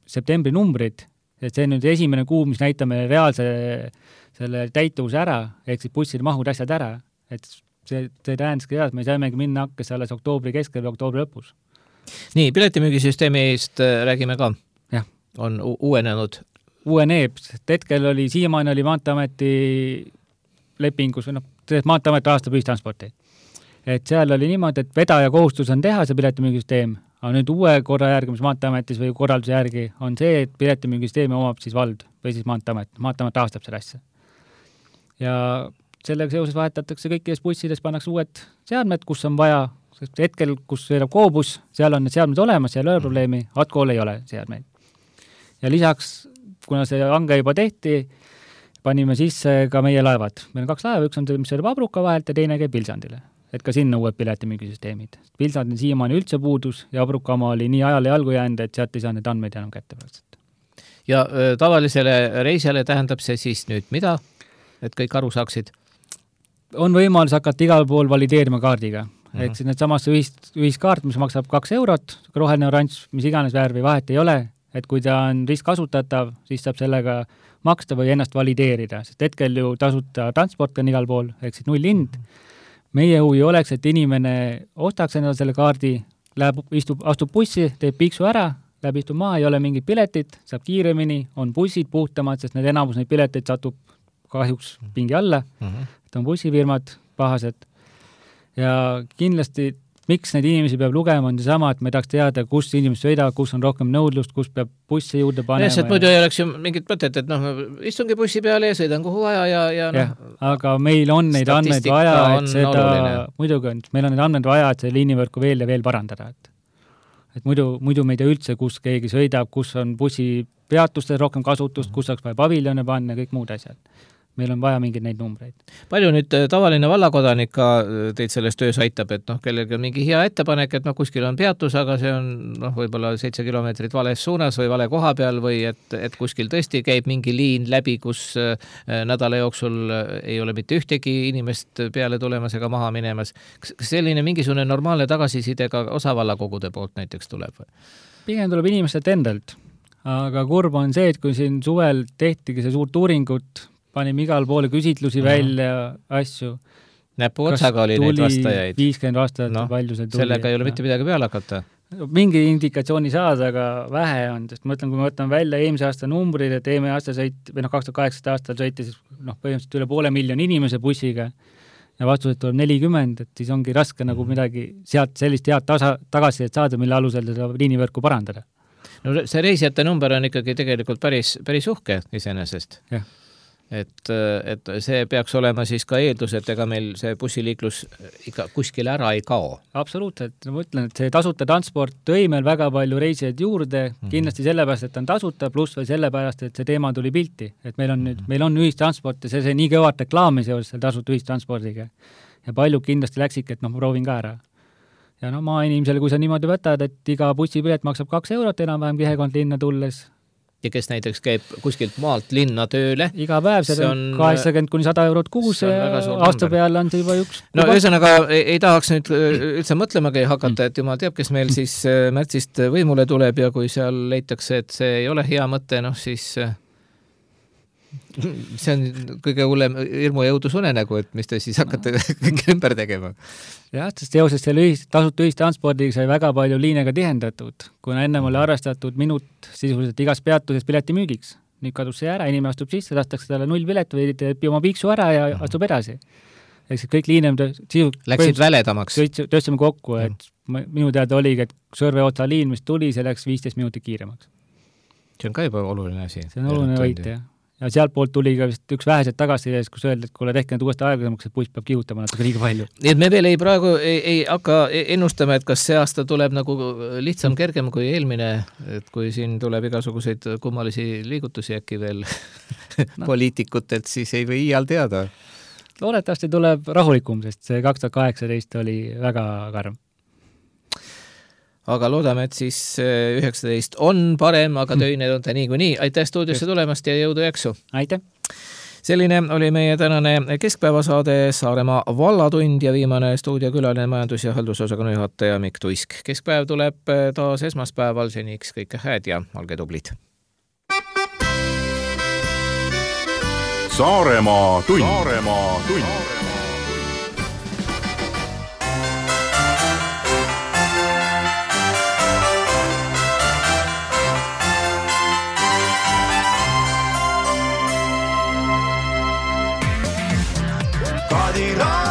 Speaker 7: septembri numbrid, et see on nüüd esimene kuu, mis näitame reaalse selle täituvuse ära, ehk siis busside mahud asjad ära, et see, see tähendaski seda, et me saimegi minna hakkes alles oktoobri keskel või oktoobri lõpus.
Speaker 2: Nii, piletimüügisüsteemist räägime ka.
Speaker 7: Jah.
Speaker 2: On uuenenud?
Speaker 7: Uueneb, sest hetkel oli, siiamaani oli Maanteeameti lepingus või noh, Maanteeamet rahastab ühistransporti. Et seal oli niimoodi, et vedaja kohustus on teha see piletimüügisüsteem, aga nüüd uue korra järgi, mis Maanteeametis või korralduse järgi, on see, et piletimüügisüsteemi omab siis vald või siis Maanteeamet. Maanteeamet rahastab selle asja. Ja sellega seoses vahetatakse kõikides bussides, pannakse uued seadmed, kus on vaja, sest hetkel, kus sõidab koobus, seal on need seadmed olemas, seal ei ole probleemi, Atkool ei ole seadmeid. Ja lisaks, kuna see hange juba tehti, panime sisse ka meie laevad. Meil on kaks laeva, üks on see, mis sõidab Abruka vahelt ja teine käib Vilsandile. et ka sinna uued piletimüügisüsteemid. Pilsad on siiamaani üldse puudus ja Abrukama oli nii ajale jalgu jäänud, et sealt ei saa need andmeid enam kätte praktiliselt.
Speaker 2: Ja öö, tavalisele reisijale tähendab see siis nüüd mida, et kõik aru saaksid?
Speaker 7: On võimalus hakata igal pool valideerima kaardiga. Mm-hmm. Ehk siis need samasse ühis, ühiskaart, mis maksab kaks eurot, roheline oranž, mis iganes värvi vahet ei ole, et kui ta on ristkasutatav, siis saab sellega maksta või ennast valideerida, sest hetkel ju tasuta transport on igal pool, ehk siis null hind. Meie huvi oleks, et inimene ostaks endale selle kaardi, läheb, istub, astub bussi, teeb piiksu ära, läheb istub maa, ei ole mingit piletit, saab kiiremini, on bussid puhtamad, sest need enamus neid pileteid satub kahjuks pingi alla, mm-hmm. et on bussifirmad pahased ja kindlasti miks neid inimesi peab lugema, on sama, et me tahaks teada, kus inimesed sõidavad, kus on rohkem nõudlust, kus peab bussi juurde panema.
Speaker 2: Lihtsalt muidu ei oleks ju mingit mõtet, et noh, istungi bussi peale ja sõidan kuhu vaja ja, ja noh.
Speaker 7: Aga meil on neid andmeid vaja, et seda, oluline. muidugi on, meil on neid andmeid vaja, et see liinivõrku veel ja veel parandada. Et, et muidu, muidu me ei tea üldse, kus keegi sõidab, kus on bussi peatustes rohkem kasutust, kus saaks vaja paviljone panna ja kõik muud asjad. Meil on vaja mingeid neid numbreid.
Speaker 2: Palju nüüd tavaline vallakodanik ka teid selles töös aitab, et noh, kellelgi on mingi hea ettepanek, et noh, kuskil on peatus, aga see on noh, võib-olla seitse kilomeetrit vales suunas või vale koha peal või et, et kuskil tõesti käib mingi liin läbi, kus nädala jooksul ei ole mitte ühtegi inimest peale tulemas ega maha minemas. Kas selline mingisugune normaalne tagasiside ka osavallakogude poolt näiteks tuleb?
Speaker 7: Pigem tuleb inimestelt endalt, aga kurb on see, et kui siin suvel tehtigi see suurt uuringut, panime igal poole küsitlusi Aha. välja, asju.
Speaker 2: Näpu otsaga oli neid vastajaid.
Speaker 7: viiskümmend vastajat no, palju see tuli.
Speaker 2: Sellega ei ole mitte midagi peale hakata.
Speaker 7: Mingi indikatsiooni saada, aga vähe on, sest mõtlen, kui me võtame välja eelmise aasta numbrid, et eelmise aasta sõit, või noh, kaks tuhat kaheksateist aastal sõiti siis noh, põhimõtteliselt üle poole miljoni inimese bussiga ja vastused tuleb nelikümmend, et siis ongi raske mm. nagu midagi sealt sellist head tasa, tagasi saada, mille alusel seda liinivõrku parandada.
Speaker 2: No see reisijate number on ikkagi tegelikult päris, päris uhke iseenesest.
Speaker 7: Jah.
Speaker 2: Et, et see peaks olema siis ka eeldus, et ega meil see bussiliiklus ikka kuskil ära ei kao.
Speaker 7: Absoluutselt, ma ütlen, et see tasuta transport tõi meil väga palju reisijaid juurde, mm-hmm. kindlasti sellepärast, et on tasuta, pluss või sellepärast, et see teema tuli pilti, et meil on nüüd, meil on ühistransport ja see, see nii kõvat reklaami seoses seal tasuta ühistranspordiga ja paljud kindlasti läksidki, et noh, ma proovin ka ära. Ja no maainimesele, kui sa niimoodi võtad, et iga bussipilet maksab kaks eurot enam-vähem kihekond linna tulles,
Speaker 2: ja kes näiteks käib kuskilt maalt linna tööle.
Speaker 7: Iga päev, see on kaheksakümmend kuni sada eurot kuus ja aasta peale on see juba üks.
Speaker 2: No ühesõnaga ei, ei tahaks nüüd üldse mõtlemagi hakata, et jumal teab, kes meil siis märtsist võimule tuleb ja kui seal leitakse, et see ei ole hea mõte, noh siis see on kõige hullem hirmu ja õudusunenägu, et mis te siis hakkate kõik ümber tegema.
Speaker 7: Jah, sest teoses selle ühist, tasuta ühistranspordiga sai väga palju liinega tihendatud, kuna ennem oli arvestatud minut sisuliselt igas peatuses piletimüügiks. Nüüd kadus see ära, inimene astub sisse, lastakse talle null pilet või teeb oma piiksu ära ja astub edasi. Ehk see kõik liinem sisu,
Speaker 2: läksid väledamaks.
Speaker 7: Tööstame kokku, et minu teada oligi, et Sõrve otsa liin, mis tuli, see läks viisteist minutit kiiremaks.
Speaker 2: See on ka juba oluline asi.
Speaker 7: See on oluline võit, jah. Ja sealt poolt tuli ka vist üks vähesed tagasi, kus öeldi, et kuule tehke need uuesti aeglasemaks, et buss peab kihutama natuke liiga palju.
Speaker 2: Nii et me veel ei praegu ei, ei hakka ennustama, et kas see aasta tuleb nagu lihtsam, kergem kui eelmine, et kui siin tuleb igasuguseid kummalisi liigutusi äkki veel no. poliitikutelt, siis ei või iial teada.
Speaker 7: Loodetavasti tuleb rahulikum, sest see kaks tuhat kaheksateist oli väga karm.
Speaker 2: Aga loodame, et siis üheksateist on parem, aga töine on ta nii kui nii. Aitäh stuudiosse tulemast ja jõudu jaksu.
Speaker 7: Aitäh.
Speaker 2: Selline oli meie tänane keskpäevasaade Saaremaa vallatund ja viimane stuudiokülaline majandus- ja haldusosakonna juhataja Mikk Tuisk. Keskpäev tuleb taas esmaspäeval, seniks kõike hääd ja olge tublid.
Speaker 1: Saaremaa tund. Saaremaa tund.
Speaker 4: Kadira